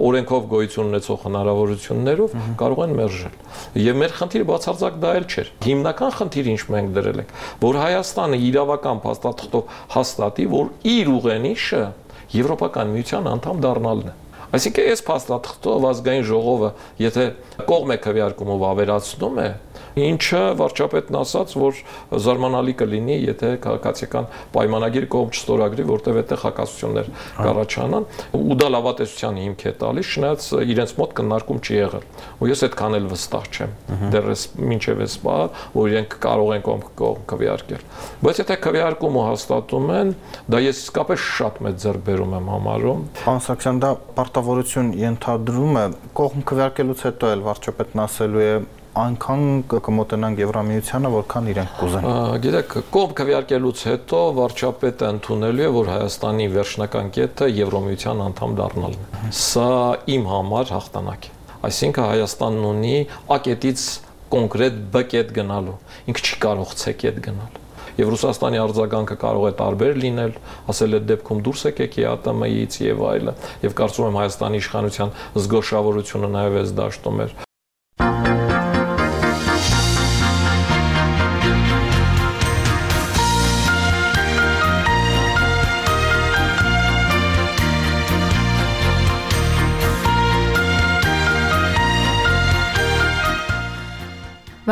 օրենքով գոյություն ունեցող հնարավորություններով կարող են մերժել։ Եվ մեր խնդիրը բացարձակ դա էլ չէր։ Հիմնական խնդիրը ինչ մենք դրել ենք, որ Հայաստանը իրավական փաստաթղթով հաստատի, որ իր ուղենիշը Եվրոպական միության անդամ դառնալն է։ Այսինքն այս փաստաթղթով ազգային ժողովը, եթե կողմ է քվեարկումով ավերացնում է, ինչը վարչապետն ասաց, որ զարմանալի կլինի, եթե քաղաքացիական պայմանագիր կողմ չստորագրի, որտեղ այդտեղ հակասություններ կառաջանան, ու դա լավատեսության հիմք է տալիս, չնայած իրենց մոտ քննարկում չի եղել։ Ու ես այդքան էլ վստահ չեմ։ Դեռ մինչև այս բանը, որ իրենք կարող են կողմ քվեարկել։ Բայց եթե քվեարկումը հաստատում են, դա ես իսկապես շատ մեծ ձեռքբերում եմ համարում։ Պարոն Սարգսյան, դա պարտավորություն ենթադրում է կողմ քվեարկելուց հետո էլ վարչապետն ասելու է այնքան կմոտենանք Եվրամիությանը, որքան իրենք կուզեն։ Գիտեք, կողմ քվեարկելուց հետո վարչապետը ընդունելու է, որ Հայաստանի վերջնական կետը Եվրոմիության անդամ դառնալն է։ Սա իմ համար հաղթանակ է։ Այսինքն Հայաստանն ունի A կետից կոնկրետ B կետ գնալու։ Ինքը չի կարող C կետ գնալ։ Եվ Ռուսաստանի արձագանքը կարող է տարբեր լինել, ասել այդ դեպքում դուրս եկեք ԵԱՏՄ-ից եւ այլը։ Եվ կարծում եմ Հայաստանի իշխանության զգոշավորությունը նաեւ այս դաշտում էր։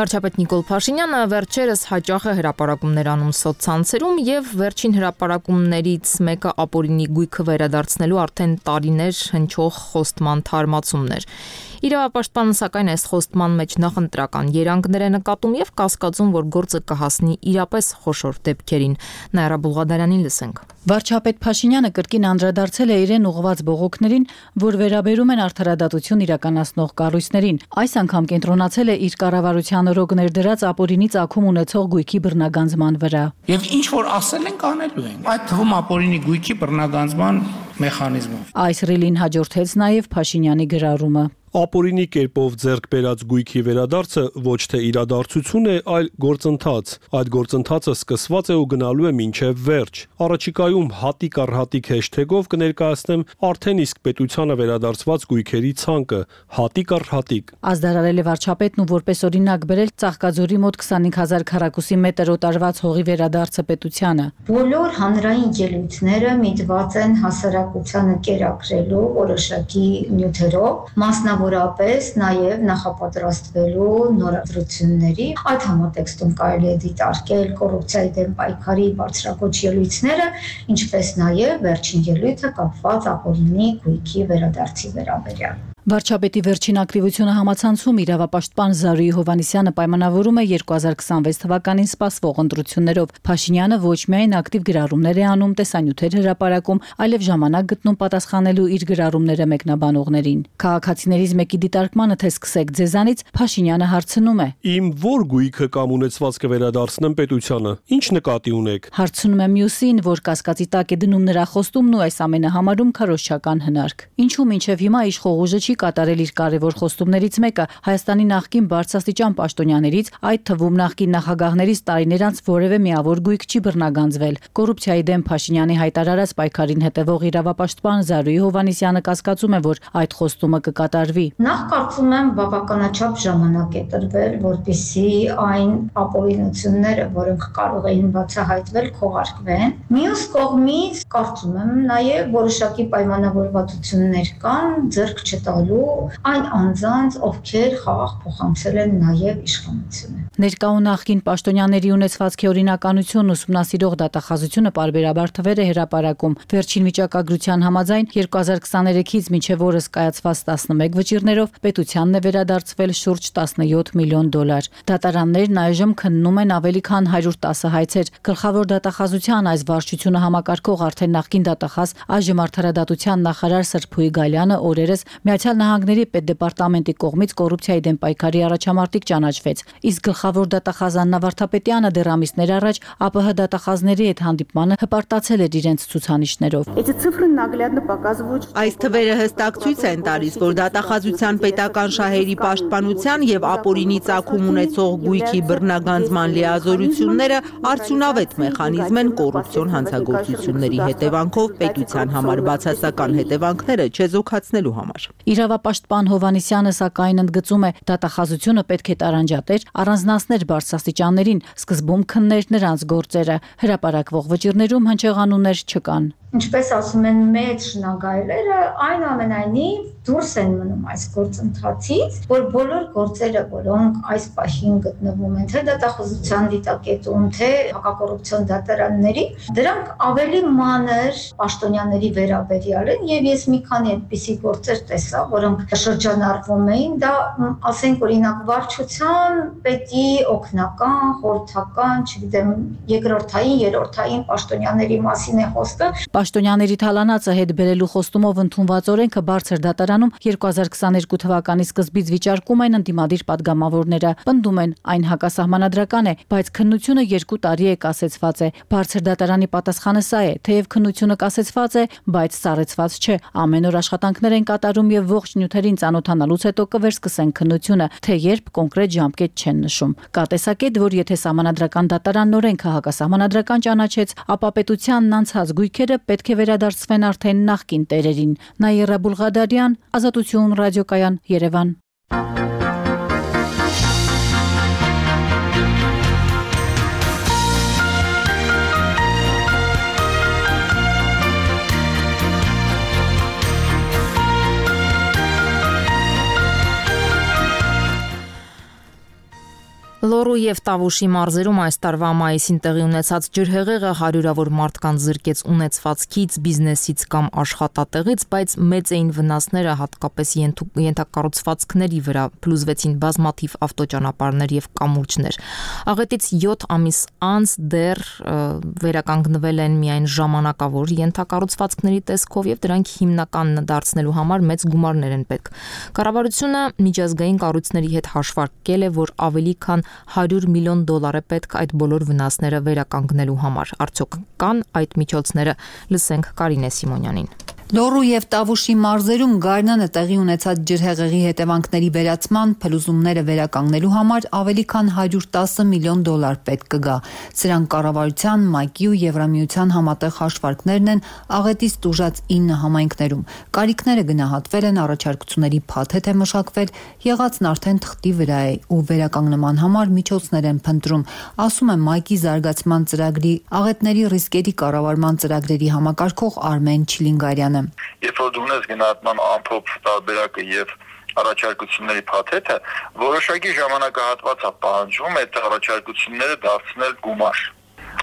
Վարչապետ Նիկոլ Փաշինյանը վերջերս հաճախ է հրապարակումներ անում սոցցանցերում եւ վերջին հրապարակումներից մեկը ապօրինի գույքը վերադարձնելու արդեն տարիներ հնչող խոստման թարմացումներ։ Իրավապաշտպանը սակայն այս խոստման մեջ նախընտրական երանգներ է նկատում եւ կասկածում, որ գործը կհասնի իրապես խոշոր դեպքերին։ Նաիրա Բուլղադարյանին լսենք։ Վարչապետ Փաշինյանը կրկին անդրադարձել է իրեն ուղղված բողոքներին, որ վերաբերում են արդարադատություն իրականացնող կառույցներին։ Այս անգամ կենտրոնացել է իր կառավարության օրոք ներդրած ապօրինի ծագում ունեցող գույքի բռնագանձման վրա։ Եվ ինչ որ ասել ենք, անելու ենք։ Այդ թվում ապօրինի գույքի բռնագանձման մեխանիզմով։ Այս ռիլին հաջորդեց նաև Փաշինյանի գրառումը։ Ապօրինի կերպով ձեռք բերած գույքի վերադարձը ոչ թե իրադարձություն է, այլ գործընթաց։ Այդ գործընթացը սկսված է ու գնալու է մինչև վերջ։ Առաջիկայում հատիկ առ հատիկ հեշթեգով կներկայացնեմ արդեն իսկ պետությանը վերադարձված գույքերի ցանկը, հատիկ առ հատիկ։ Ազդարարել է վարչապետն ու որպես օրինակ բերել Ծաղկաձորի մոտ 25000 քառակուսի մետր օտարված հողի վերադարձը պետությանը։ Բոլոր հանրային ելույթները միտված են հասարակությանը կերակրելու որոշակի նյութերով, որապես նաև նախապատրաստվելու նորադրությունների, այդ համատեքստում կարելի է դիտարկել կոռուպցիայի դեմ պայքարի բարձրագույն ելույթները, ինչպես նաև վերջին ելույթը կապված ապօրինի գույքի վերադարձի վերաբերյալ։ Վարչապետի վերջին ակտիվությունը համացանցում իրավապաշտպան Զարուհի Հովհաննիսյանը պայմանավորում է 2026 թվականին սպասվող ընտրություններով։ Փաշինյանը ոչ միայն ակտիվ գրառումներ է անում, տեսանյութեր հրապարակում, այլև ժամանակ գտնում պատասխանելու իր գրառումները մեկնաբանողներին։ Քաղաքացիներից մեկի դիտարկմանը թե սկսեք ձեզանից, Փաշինյանը հարցնում է. Իմ ո՞ր գույքը կամ ունեցվածքը վերադարձնեմ պետությանը։ Ինչ նկատի ունեք։ Հարցնում է մյուսին, որ կասկածի տակ է դնում նրա խոստումն ու այս ամենը համարում քարոզչական հնարք։ Ինչու մինչև հիմա իշխող ուժը չի կատարել իր կարևոր խոստումներից մեկը Հայաստանի նախկին բարձրաստիճան պաշտոնյաներից, այդ թվում նախկին նախագահներից տարիներ անց որևէ միավոր գույք չի բռնագանձվել։ Կոռուպցիայի դեմ Փաշինյանի հայտարարած պայքարին հետևող իրավապաշտպան Զարուհի Հովհաննիսյանը կասկածում է, որ այդ խոստումը կկատարվի։ Նախ կարծում եմ բավականաչափ ժամանակ է տրվել, որպեսզի այն ապօրինությունները, որոնք կարող էին բացահայտվել, քողարկվեն։ Մյուս կողմից կարծում եմ նաև որոշակի պայմանավորվածություններ կան ձեռք չտալու այն անձանց, ովքեր խաղաղ փոխանցել են նաև իշխանությունը։ Ներկա ու նախկին պաշտոնյաների ունեցվածքի օրինականությունն ուսումնասիրող դատախազությունը պարբերաբար թվեր է հրապարակում։ Վերջին վիճակագրության համաձայն 2023-ից մինչև օրս կայացված 11 վճիռներով պետությանն է վերադարձվել շուրջ 17 միլիոն դոլար։ Դատարաններն այժմ քննում են ավելի քան 110 հայցեր։ Գլխավոր դատախազության այս վարչությունը համակարգող արդեն նախկին դատախազ այժմ արդարադատության նախարար Սրփուհի Գալյանը օրերս Միացյալ Նահանգների պետդեպարտամենտի կողմից կոռուպցիայի դեմ պայքարի առաջամարտիկ ճանաչվեց։ Իսկ գլխավոր դատախազ Աննա Վարդապետյանը դեռ ամիսներ առաջ ԱՊՀ դատախազների հետ հանդիպմանը հպարտացել էր իրենց ցուցանիշներով։ Այս թվերը հստակ ցույց են տալիս, որ դատախազության պետական շահերի պաշտպանության եւ ապօրինի ծագում ունեցող գույքի բռնագանձման լիազորությունները արդյունավետ մեխանիզմ են կոռուպցիոն հանցագործությունների հետևանքով պետության համար բացասական հետևանքները չեզոքացնելու համար։ Իրավապաշտպան Հովհաննիսյանը սակայն ընդգծում է, դատախազությունը պետք է տարանջատեր, առանձնացներ բարձրաստիճաններին, սկզբում քններ նրանց գործերը, հրապարակվող վճիռներում հնչեղանուններ չկան։ Ինչպես ասում են մեծ շնագայլերը, այնուամենայնիվ դուրս են մնում այս գործընթացից, որ բոլոր գործերը, որոնք այս պահին գտնվում են թե դատախազության դիտակետում, թե հակակոռուպցիոն դատարանների, դրանք ավելի մանր պաշտոնյաների վերաբերյալ են եւ ես մի քանի այդպիսի գործեր տեսա, որոնք շրջանառվում էին, դա ասենք օրինակ վարչության պետի օգնական, խորհրդական, չգիտեմ, երկրորդային, երրորդային պաշտոնյաների մասին է խոսքը։ Պաշտոնյաների թալանացը հետ բերելու խոստումով ընդունված օրենքը բարձր դատարանում 2022 թվականի սկզբից վիճարկում են ընդդիմադիր падգամավորները։ Պնդում են, այն հակասահմանադրական է, բայց քննությունը 2 տարի է կասեցված է։ Բարձր դատարանի պատասխանը սա է, թեև քննությունը կասեցված է, բայց սառեցված չէ։ Ամեն օր աշխատանքներ են կատարում եւ ողջ նյութերին ծանոթանալուց հետո կվերսկսեն քննությունը, թե երբ կոնկրետ ժամկետ չեն նշում։ Կա տեսակետ, որ եթե սահմանադրական դատարանն օրենքը հակասահմանադրական ճանաչեց, ապա պետությանն անցած գույքերը պետք է վերադարձվեն արդեն նախկին տերերին։ Նաիրա Բուլղադարյան, Ազատություն ռադիոկայան, Երևան։ Լոռու եւ Տավուշի մարզերում այս տարվա մայիսին տեղի ունեցած ջրհեղեղը հարյուրավոր մարդկանց զրկեց ունեցվածքից, բիզնեսից կամ աշխատատեղից, բայց մեծ էին վնասները հատկապես ենթակառուցվածքների վրա, փլուզվեցին բազմաթիվ ավտոճանապարհներ եւ կամուրջներ։ Աղետից 7 ամիս անց դեռ վերականգնվել են միայն ժամանակավոր ենթակառուցվածքների տեսքով եւ դրանք հիմնական դարձնելու համար մեծ գումարներ են պետք։ Կառավարությունը միջազգային կառույցների հետ հաշվարկել է, որ ավելի քան 100 միլիոն դոլար է պետք այդ բոլոր վնասները վերականգնելու համար։ Արդյոք կան այդ միջոցները, լսենք Կարինե Սիմոնյանին։ Լոռու եւ Տավուշի մարզերում գարնանը տեղի ունեցած ջրհեղեղի հետևանքների վերացման, փլուզումները վերականգնելու համար ավելի քան 110 միլիոն դոլար պետք կգա։ Սրանք կառավարության, ՄԱԿ-ի ու Եվրամիության համատեղ հաշվարկներն են աղետից տուժած 9 համայնքներում։ Կարիքները գնահատվել են, առաջարկությունների փաթեթ է մշակվել, եղածն արդեն թղթի վրա է ու վերականգնման համար միջոցներ են փնտրում, ասում է ՄԱԿ-ի զարգացման ծրագրի աղետների ռիսկերի կառավարման ծրագրերի համակարգող Արմեն Չիլինգարյանը։ Երբ որ դու ունես գնահատման ամփոփ տարբերակը եւ առաջարկությունների փաթեթը, որոշակի ժամանակահատված է պահանջվում այդ առաջարկությունները դարձնել գումար։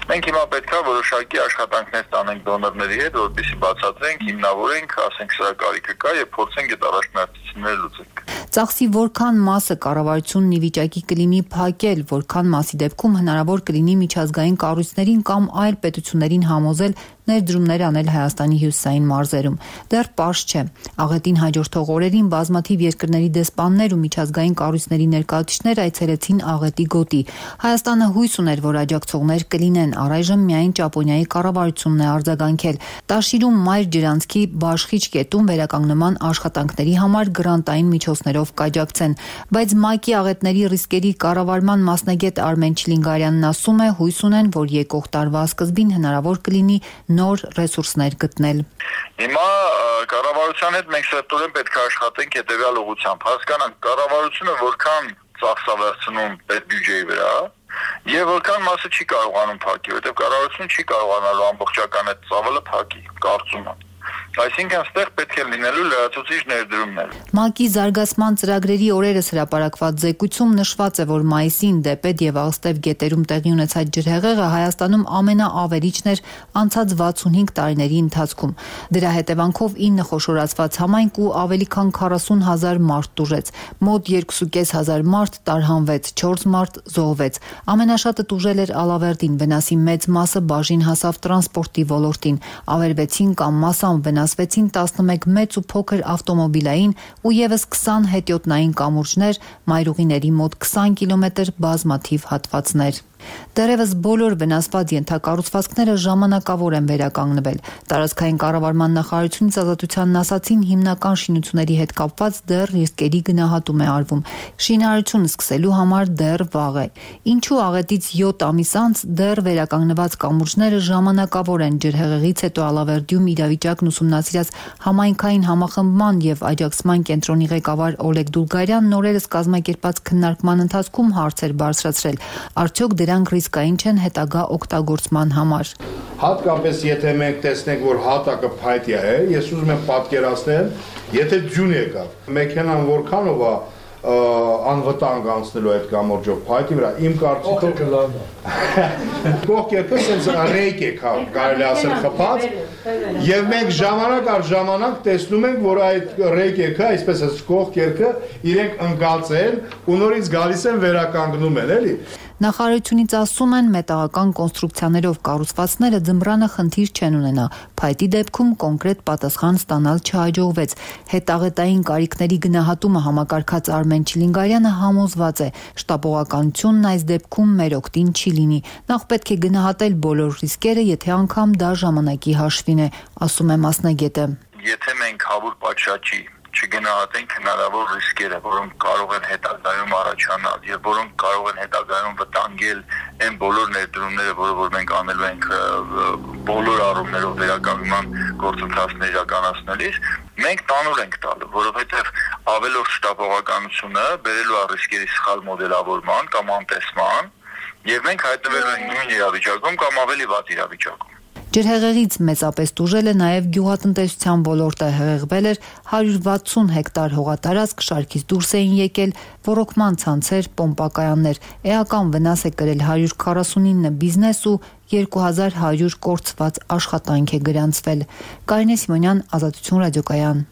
Մենք հիմա պետք է որոշակի աշխատանքներ ստանենք դոնորների հետ, որպեսզի բացատրենք, հիմնավորենք, ասենք սրա կարիքը կա եւ փորձենք այդ առաջնահերթությունները լուծենք։ Ծախսի որքան մասը կառավարությունն ի վիճակի կլինի փակել, որքան մասի դեպքում հնարավոր կլինի միջազգային կառույցներին կամ այլ պետություններին համոզել ներդրումներ անել Հայաստանի հյուսիսային մարզերում։ Դեռ պարզ չէ։ Աղետին հաջորդող օրերին բազմաթիվ երկրների դեսպաններ ու միջազգային կառույցների ներկայացուցիչներ այցելեցին Աղետի գոտի։ Հայաստանը հույս ուներ, որ աջակցողներ կլինեն, առայժմ միայն Ճապոնիայի կառավարությունն է արձագանքել։ Տաշիրում Մայր ջրանցքի Բաշխիչ կետում վերականգնման աշխատանքների համար գրանտային միջոցներով կաջակցեն, բայց ՄԱԿ-ի աղետների ռիսկերի կառավարման մասնագետ Արմեն Չիլինգարյանն ասում է, հույս ունեն, որ եկող տարվա սկզբին հնարավոր կլինի նոր ռեսուրսներ գտնել։ Հիմա կառավարության հետ մենք սերտորեն պետք է աշխատենք հետևյալ ուղղությամբ։ Հասկանանք կառավարությունը որքան ծախս է վերցնում պետբյուջեի վրա եւ որքան մասը չի կարողանում փակել, որովհետեւ կառավարությունը չի կարողանալու ամբողջական այդ ծավալը փակի, կարծում եմ։ Այսինքն այստեղ պետք է լինելու լրացուցիչ ներդրումներ։ ՄԱԿ-ի զարգացման ծրագրերի օրերս հրապարակված զեկույցում նշված է, որ մայիսին Դեպետ եւ Աղստև գետերում տեղի ունեցած ջրհեղեղը Հայաստանում ամենաավերիչն էր անցած 65 տարիների ընթացքում։ Դրա հետևանքով 9 խոշորացված համայնք ու ավելի քան 40,000 մարդ տուժեց։ Մոտ 2,500 մարդ տարհանվեց, 4 մարդ զոհվեց։ Ամենաշատը տուժել էր Ալավերդին, վնասի մեծ մասը բաժին հասավ տրանսպորտի ոլորտին։ Ավերվեցին կամ մասամբ վնասվեցին 11 մեծ ու փոքր ավտոմոբիլային ու եւս 20 հետիոտնային կամուրջներ, մայրուղիների մոտ 20 կիլոմետր բազմաթիվ հատվածներ։ Դեռևս բոլոր վնասված ենթակառուցվածքները ժամանակավոր են վերականգնվել։ Տարածքային կառավարման նախարարությունից ազատությանն ասացին, հիմնական շինությունների հետ կապված դեռ ռիսկերի գնահատում է արվում։ Շինարարությունը սկսելու համար դեռ վաղ է։ Ինչու աղետից 7 ամիս անց դեռ վերականգնված կամուրջները ժամանակավոր են։ Ջրհեղեղից հետո Ալավերդիում իրավիճակն ուսումնասիրած համայնքային համախմբման եւ աջակցման կենտրոնի ղեկավար Օլեգ Դուլգարյանն օրերս կազմակերպած քննարկման ընթացքում հարցեր բարձրացրել։ Արդյոք դրանք ռիսկային չեն հետագա օգտագործման համար։ Հատկապես եթե մենք տեսնենք, որ հատակը փայտյա է, ես ուզում եմ պատկերացնել, եթե ձյուն եկավ, մեքենան որքանով է անվտանգ անցնելու այդ կամուրջով փայտի վրա, իմ կարծիքով կողքերքը sense ռեյք է կարելի ասել խփած, եւ մենք ժամանակ առ ժամանակ տեսնում ենք, որ այդ ռեյքերը, այսպես ասած կողքերքը իրենք ընկածեն ու նորից գալիս են վերականգնում են, էլի։ Նախարարությունից ասում են, մետաղական կոնստրուկցիաներով կառուցվածքները ձմռանը խնդիր չեն ունենա։ Փայտի դեպքում կոնկրետ պատասխան ստանալ չհաջողվեց։ Հետաղետային կարիքների գնահատումը համակարգած Արմեն Չիլինգարյանը համոզված է, շտապողականությունն այս դեպքում մեր օգտին չի լինի։ Նախ պետք է գնահատել բոլոր ռիսկերը, եթե անգամ դա ժամանակի հաշվին է, ասում է մասնագետը։ Եթե մենք հավուր պատշաճի չգնահատենք հնարավոր ռիսկերը, որոնք կարող են հետագայում առաջանալ եւ որոնք կարող են հետագայում վտանգել այն բոլոր ներդրումները, որ մենք անելու ենք բոլոր առումներով վերականգնման գործընթացներ իրականացնելիս, մենք տանուլ ենք տալու, որովհետեւ ավելորդ շտապողականությունը բերելու է ռիսկերի սխալ մոդելավորման կամ անտեսման, եւ մենք հայտնվելու ենք նույն իրավիճակում կամ ավելի վատ իրավիճակում։ Ջրհեղեղից մեծապես տուժել է նաև գյուղատնտեսության ոլորտը, հեղեղվել էր 160 հեկտար հողատարածք, շարքից դուրս էին եկել ոռոգման ցանցեր, պոմպակայաններ, էական վնաս է կրել 149 բիզնես ու 2100 կորցված աշխատանք է գրանցվել։ Կարինե Սիմոնյան, Ազատություն ռադիոկայան։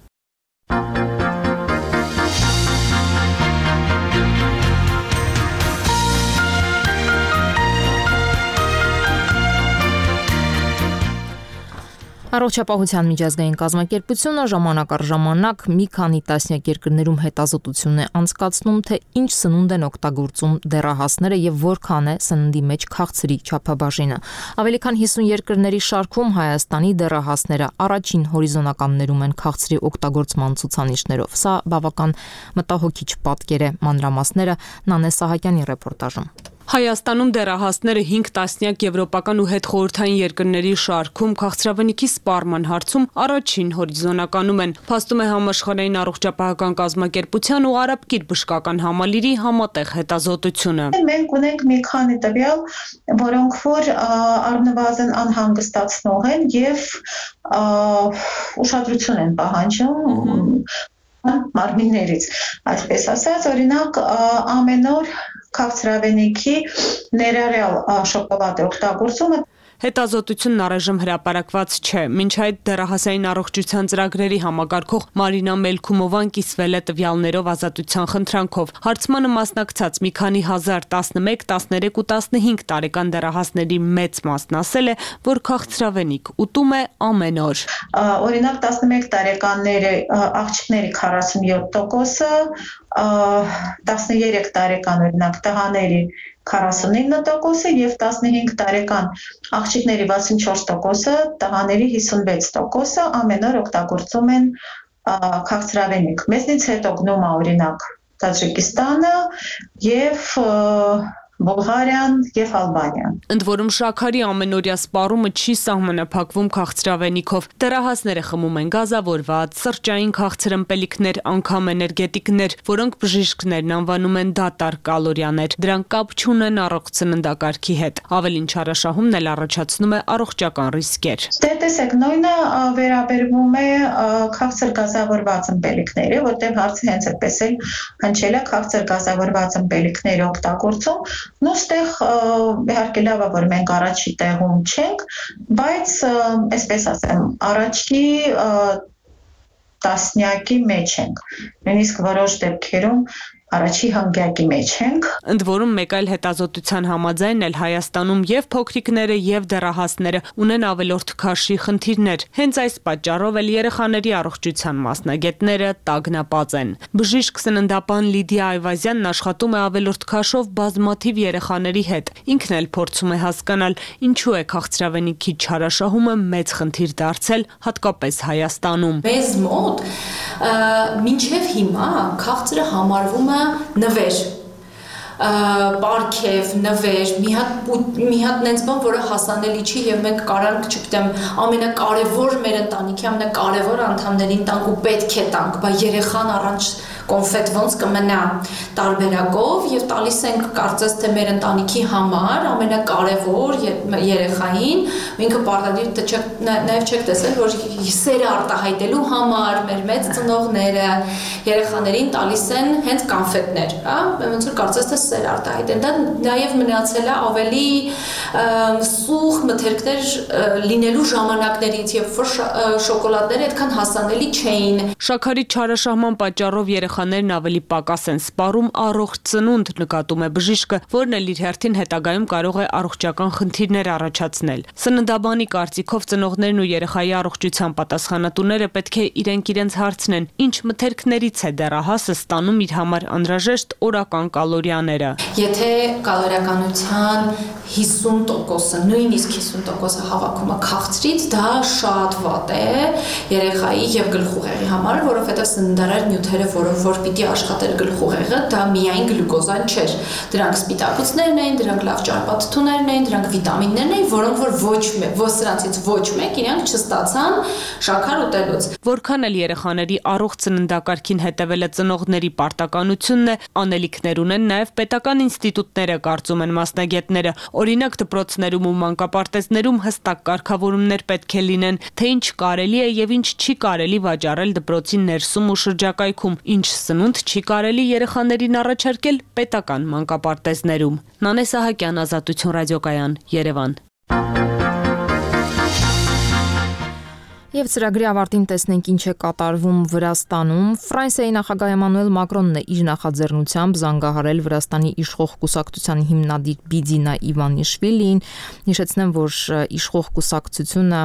Առողջապահության միջազգային կազմակերպությունը ժամանակ առ ժամանակ մի քանի տասնյակ երկրներում հետազոտություն է անցկացնում, թե ինչ սնունդ են օգտագործում դեռահասները եւ որքան է սննդի մեջ քաղցրի չափաբաժինը։ Ավելի քան 50 երկրների շարքում Հայաստանի դեռահասները առաջին հորիզոնականներում են քաղցրի օգտագործման ցուցանիշներով։ Սա բավական մտահոգիչ պատկեր է, մանրամասները Նանե Սահակյանի ռեպորտաժում։ Հայաստանում դեռահասները 5 տասնյակ եվրոպական ու հետխորհրդային երկրների շարքում քաղցրավենիքի սպառման հարցում առաջին հորիզոնականում են, փաստում է Համաշխարհային առողջապահական կազմակերպության ու Արաբկիր բժշկական համալիրի համատեղ հետազոտությունը։ Մենք ունենք մի քանի տվյալ, որոնք որ առնվազն անհանգստացնող են եւ ուշադրություն են պահանջում մարմիններից, այսպես ասած, օրինակ ամեն օր քաղցրավենիքի ներառյալ շոկոլադի օգտագործումը Հետազոտությունն առայժմ հրապարակված չէ։ Մինչ այդ դեռահասային առողջության ծրագրերի համակարգող Մարինա Մելքումովան կիսվել է տվյալներով ազատության խնդրանքով։ Հարցմանը մասնակցած մի քանի հազար 11, 13 ու 15 տարեկան դեռահասների մեծ մասն ասել է, որ քաղցրավենիք ուտում է ամեն օր։ Օրինակ 11 տարեկանների աղջիկների 47%, 13 տարեկան օրինակ տղաների 49% եւ 15 տարեկան աղջիկների 64%, տղաների 56% ամեն օր օգտագործում են քաղցրավենիք։ Մեզնից հետո գնում է օրինակ Տաջիկստանը եւ Բուլղարիան եւ Ալբանիան։ Ընդ որում շաքարի ամենօրյա սպառումը չի սահմանափակվում քաղցրավենիքով։ Դեռահասները խմում են գազավորված, սրճային քաղցր ըմպելիքներ, անգամ էներգետիկներ, որոնք բժիշկներն անվանում են դատարկ կալորիաներ։ Դրանք կապ չունեն առողջ սննդակարգի հետ։ Ավելին չարաշահումն էլ առաջացնում է առողջական ռիսկեր։ Դե տեսեք, նույնը վերաբերվում է քաղցր գազավորված ըմպելիքների, որտեղ հարցը հենց այդպես էլ հնչել է քաղցր գազավորված ըմպելիքների օգտագործում։ Նոստեղ իհարկե լավ է, որ մենք առաջի տեղում չենք, բայց այսպես ասեմ, առաջի տասնյակի մեջ ենք, նույնիսկ որոշ դեպքերում առաջի հանգյակի մեջ ենք։ Ընդ որում մեկ այլ հետազոտության համաձայն էլ Հայաստանում եւ փոքրիկները եւ դեռահասները ունեն ավելորդ քաշի խնդիրներ։ Հենց այս պատճառով էլ երեխաների առողջության մասնագետները տագնապած են։ Բժիշկ սննդապան Լիդիա Այվազյանն աշխատում է ավելորդ քաշով բազմաթիվ երեխաների հետ։ Ինքն էլ փորձում է հասկանալ, ինչու է քաղցրավենիքի չարաշահումը մեծ խնդիր դարձել, հատկապես Հայաստանում։ Մեզ մոտ մինչև հիմա քաղցրը համարվում է նվեր, պարքև, նվեր, մի հատ նենց բան, որը հասանելի չի եւ մենք կարանք, չգիտեմ, ամենակարևոր մեր ընտանիքի ամենակարևոր անդամներին տանք ու պետք է տանք, բայց երեխան առանց կոնֆետ ոնց կմնա տարբերակով եւ տալիս ենք կարծես թե մեր ընտանիքի համար ամենակարևոր երեխային, ինքը պարտադիր նաեւ չեք տեսել, որ սերը արտահայտելու համար մեր մեծ ծնողները երեխաներին տալիս են հենց կոնֆետներ, հա, ոնց որ կարծես թե սեր արտահայտեն։ Դա նաեւ մնացել է ավելի սուղ մթերքներ լինելու ժամանակներից, երբ որ շոկոլադները այդքան հասանելի չէին։ Շաքարի չարաշահման պատճառով երեխաներն ավելի պակաս են սպառում առողջ ծնունդ, նկատում է բժիշկը, որն էլ իր հերթին հետագայում կարող է առողջական խնդիրներ առաջացնել։ Սննդաբանի կարծիքով ծնողներն ու երեխայի առողջության պատասխանատուները պետք է իրենց հարցնեն, ինչ մթերքներից է դեռահասը ստանում իր համար անհրաժեշտ օրական կալորիաները։ Եթե կալորիականության 50%-ը, նույնիսկ 50%-ը հավաքում է քաղցրից, դա շատ վատ է երեխայի եւ գլխուղեղի համար, որովհետեւ սննդարար նյութերը, որ պիտի աշխատեր գլխուղեղը, դա միայն գլյուկոզան չէր։ Դրանք սպիտակուցներն էին, դրանք լավ ճարպաթթուներն էին, դրանք վիտամիններն էին, որոնք որ ոչ սրանցից ոչ մեկ իրանք չստացան շաքար ուտելուց։ Որքան էլ երեխաների առողջ սննդակարգին հետևելը ծնողների պարտականությունն է, անելիքներ ունեն նաև պետական ինստիտուտները, կարծում են մասնագետները։ Օրինակ դպրոցներում ու մանկապարտեզներում հստակ կարգավորումներ պետք է լինեն, թե ինչ կարելի է եւ ինչ չի կարելի վաճառել դպրոցի ներսում ու շրջակայքում, ինչ սնունդ չի կարելի երեխաներին առաջարկել պետական մանկապարտեզներում։ Նանե Սահակյան, Ազատություն ռադիոկայան, Երևան։ Եվ ծրագրի ավարտին տեսնենք ինչ է կատարվում Վրաստանում։ Ֆրանսիայի նախագահ Էմանուել Մակրոնն է իր նախաձեռնությամբ զանգահարել Վրաստանի իշխող կուսակցության հիմնադիր Բիդինա Իվանիշվիլիին։ Հիշեցնեմ, որ իշխող կուսակցությունը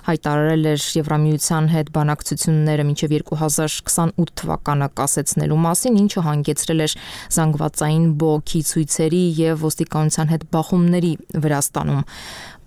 հայտարարել էր Եվրամիության հետ բանակցությունները մինչև 2028 թվականը կասեցնելու մասին, ինչը հանգեցրել էր զանգվածային բողոքի ցույցերի եւ ոստիկանության հետ բախումների Վրաստանում։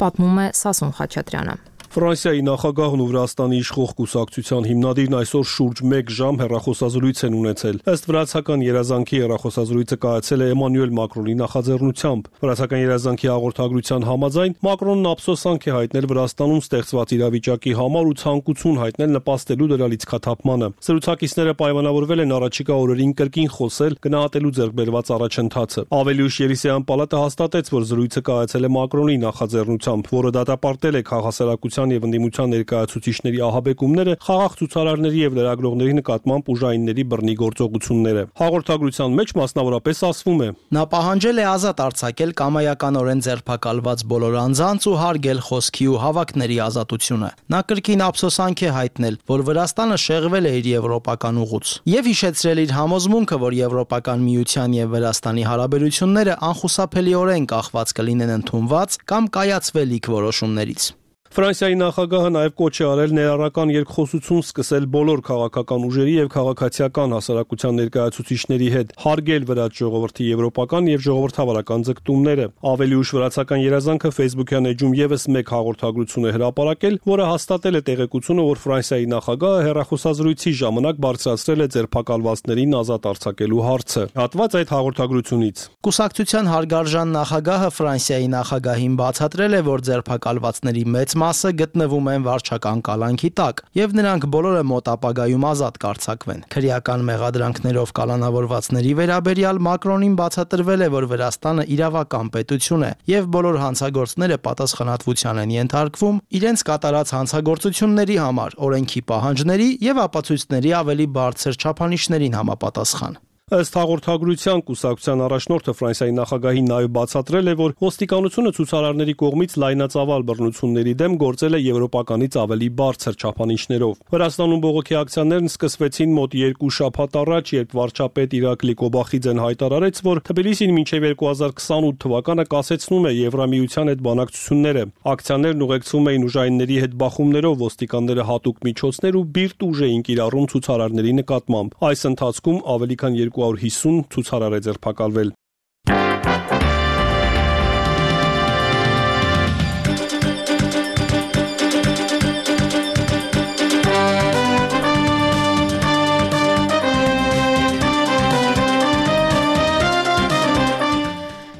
Պատմում է Սասուն Խաչատրյանը։ Ֆրանսիայի նախագահն ու Վրաստանի իշխող կուսակցության հիմնադիրն այսօր շուրջ 1 ժամ հեռախոսազրույց են ունեցել։ Ըստ վրացական երազանքի հեռախոսազրույցը կայացել է Էմանուել Մակրոնի նախաձեռնությամբ։ Վրացական երազանքի հաղորդագրության համաձայն Մակրոնն ափսոսանք է հայտնել Վրաստանում ստեղծված իրավիճակի համար ու ցանկություն հայտնել նպաստելու դրա լիցքաթափմանը։ Զրուցակիցները պայմանավորվել են առաջիկա օրերին կրկին խոսել, գնահատելու ձեռքբերված առաջընթացը։ Ավելի ուշ Ելիսեյան պալատը հաստատեց, որ զրույցը կայացել է Մակրոնի նախաձեռնությամբ, որը դատապարտել է քաղաքասարակության կառավարության եւ ընդդիմության ներկայացուցիչների ահաբեկումները, խաղաղ ցուցարարների եւ լրագրողների նկատմամբ ուժայինների բռնի գործողությունները։ Հաղորդագրության մեջ մասնավորապես ասվում է. Նա պահանջել է ազատ արձակել կամայականորեն ձերբակալված բոլոր անձանց ու հարգել խոսքի ու հավաքների ազատությունը։ Նա կրկին ափսոսանք է հայտնել, որ Վրաստանը շեղվել է իր եվրոպական ուղուց եւ հիշեցրել իր համոզմունքը, որ Եվրոպական միության եւ Վրաստանի հարաբերությունները անխուսափելիորեն կախված կլինեն ընդունված կամ կայացվելիք որոշումներից։ Ֆրանսիայի նախագահը նաև կոչ է արել ներառական երկխոսություն սկսել բոլոր քաղաքական ուժերի եւ քաղաքացիական հասարակության ներկայացուցիչների հետ, հարգել վրաց ժողովրդի եվրոպական եւ ժողովրդավարական ձգտումները։ Ավելի ուշ վրացական երազանքը Facebook-յան էջում եւս մեկ հաղորդագրություն է հրապարակել, որը հաստատել է տեղեկությունը, որ Ֆրանսիայի նախագահը հեռախոսազրույցի ժամանակ բարձրացրել է ձերբակալվածներին ազատ արձակելու հարցը։ Հատված այդ հաղորդագրությունից։ Կուսակցության հարգարժան նախագահը Ֆրանսիայի նախագահին բացատրել է, որ ձերբակալվածների մեծ մասը գտնվում են վարչական կալանքի տակ եւ նրանք բոլորը մոտ ապագայում ազատ կարձակվեն։ Քրեական մեղադրանքներով կալանավորվածների վերաբերյալ Մակրոնին բացատրվել է, որ Վրաստանը իրավական պետություն է եւ բոլոր հանցագործները պատասխանատվության են ենթարկվում իրենց կատարած հանցագործությունների համար, օրենքի պահանջների եւ ապացույցների ավելի բարձր չափանիշներին համապատասխան։ Ըստ հաղորդագրության կուսակցության առաջնորդը Ֆրանսիայի նախագահին նաև բացատրել է, որ ոստիկանությունը ցուցարարների կողմից լայնածավալ բռնությունների դեմ գործել է եվրոպականից ավելի բարձր չափանիշներով։ Վրաստանում բողոքի ակցիաներն սկսվեցին մոտ 2 շաբաթ առաջ, երբ վարչապետ Իրակլի Կոբախիձեն հայտարարեց, որ Թբիլիսին մինչև 2028 թվականը կասեցնում է Եվրամիության հետ բանակցությունները։ Ակցիաներն ուղեկցվում էին ուժայինների հետ բախումներով, ոստիկանները հատուկ միջոցներ ու բիրտ ուժ էին կիրառում ցուցարարների նկատմամբ։ Այս ընթացքում ավելի քան 250 ցուցարար է ձերբակալվել։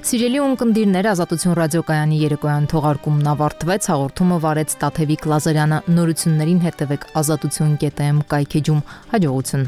Սիրելի ունկնդիրներ, Ազատություն ռադիոկայանի երեկոյան թողարկումն ավարտվեց, հաղորդումը վարեց Տաթևիկ Լազարյանը, նորություններին հետևեք azatutun.am կայքեջում, հաջողություն։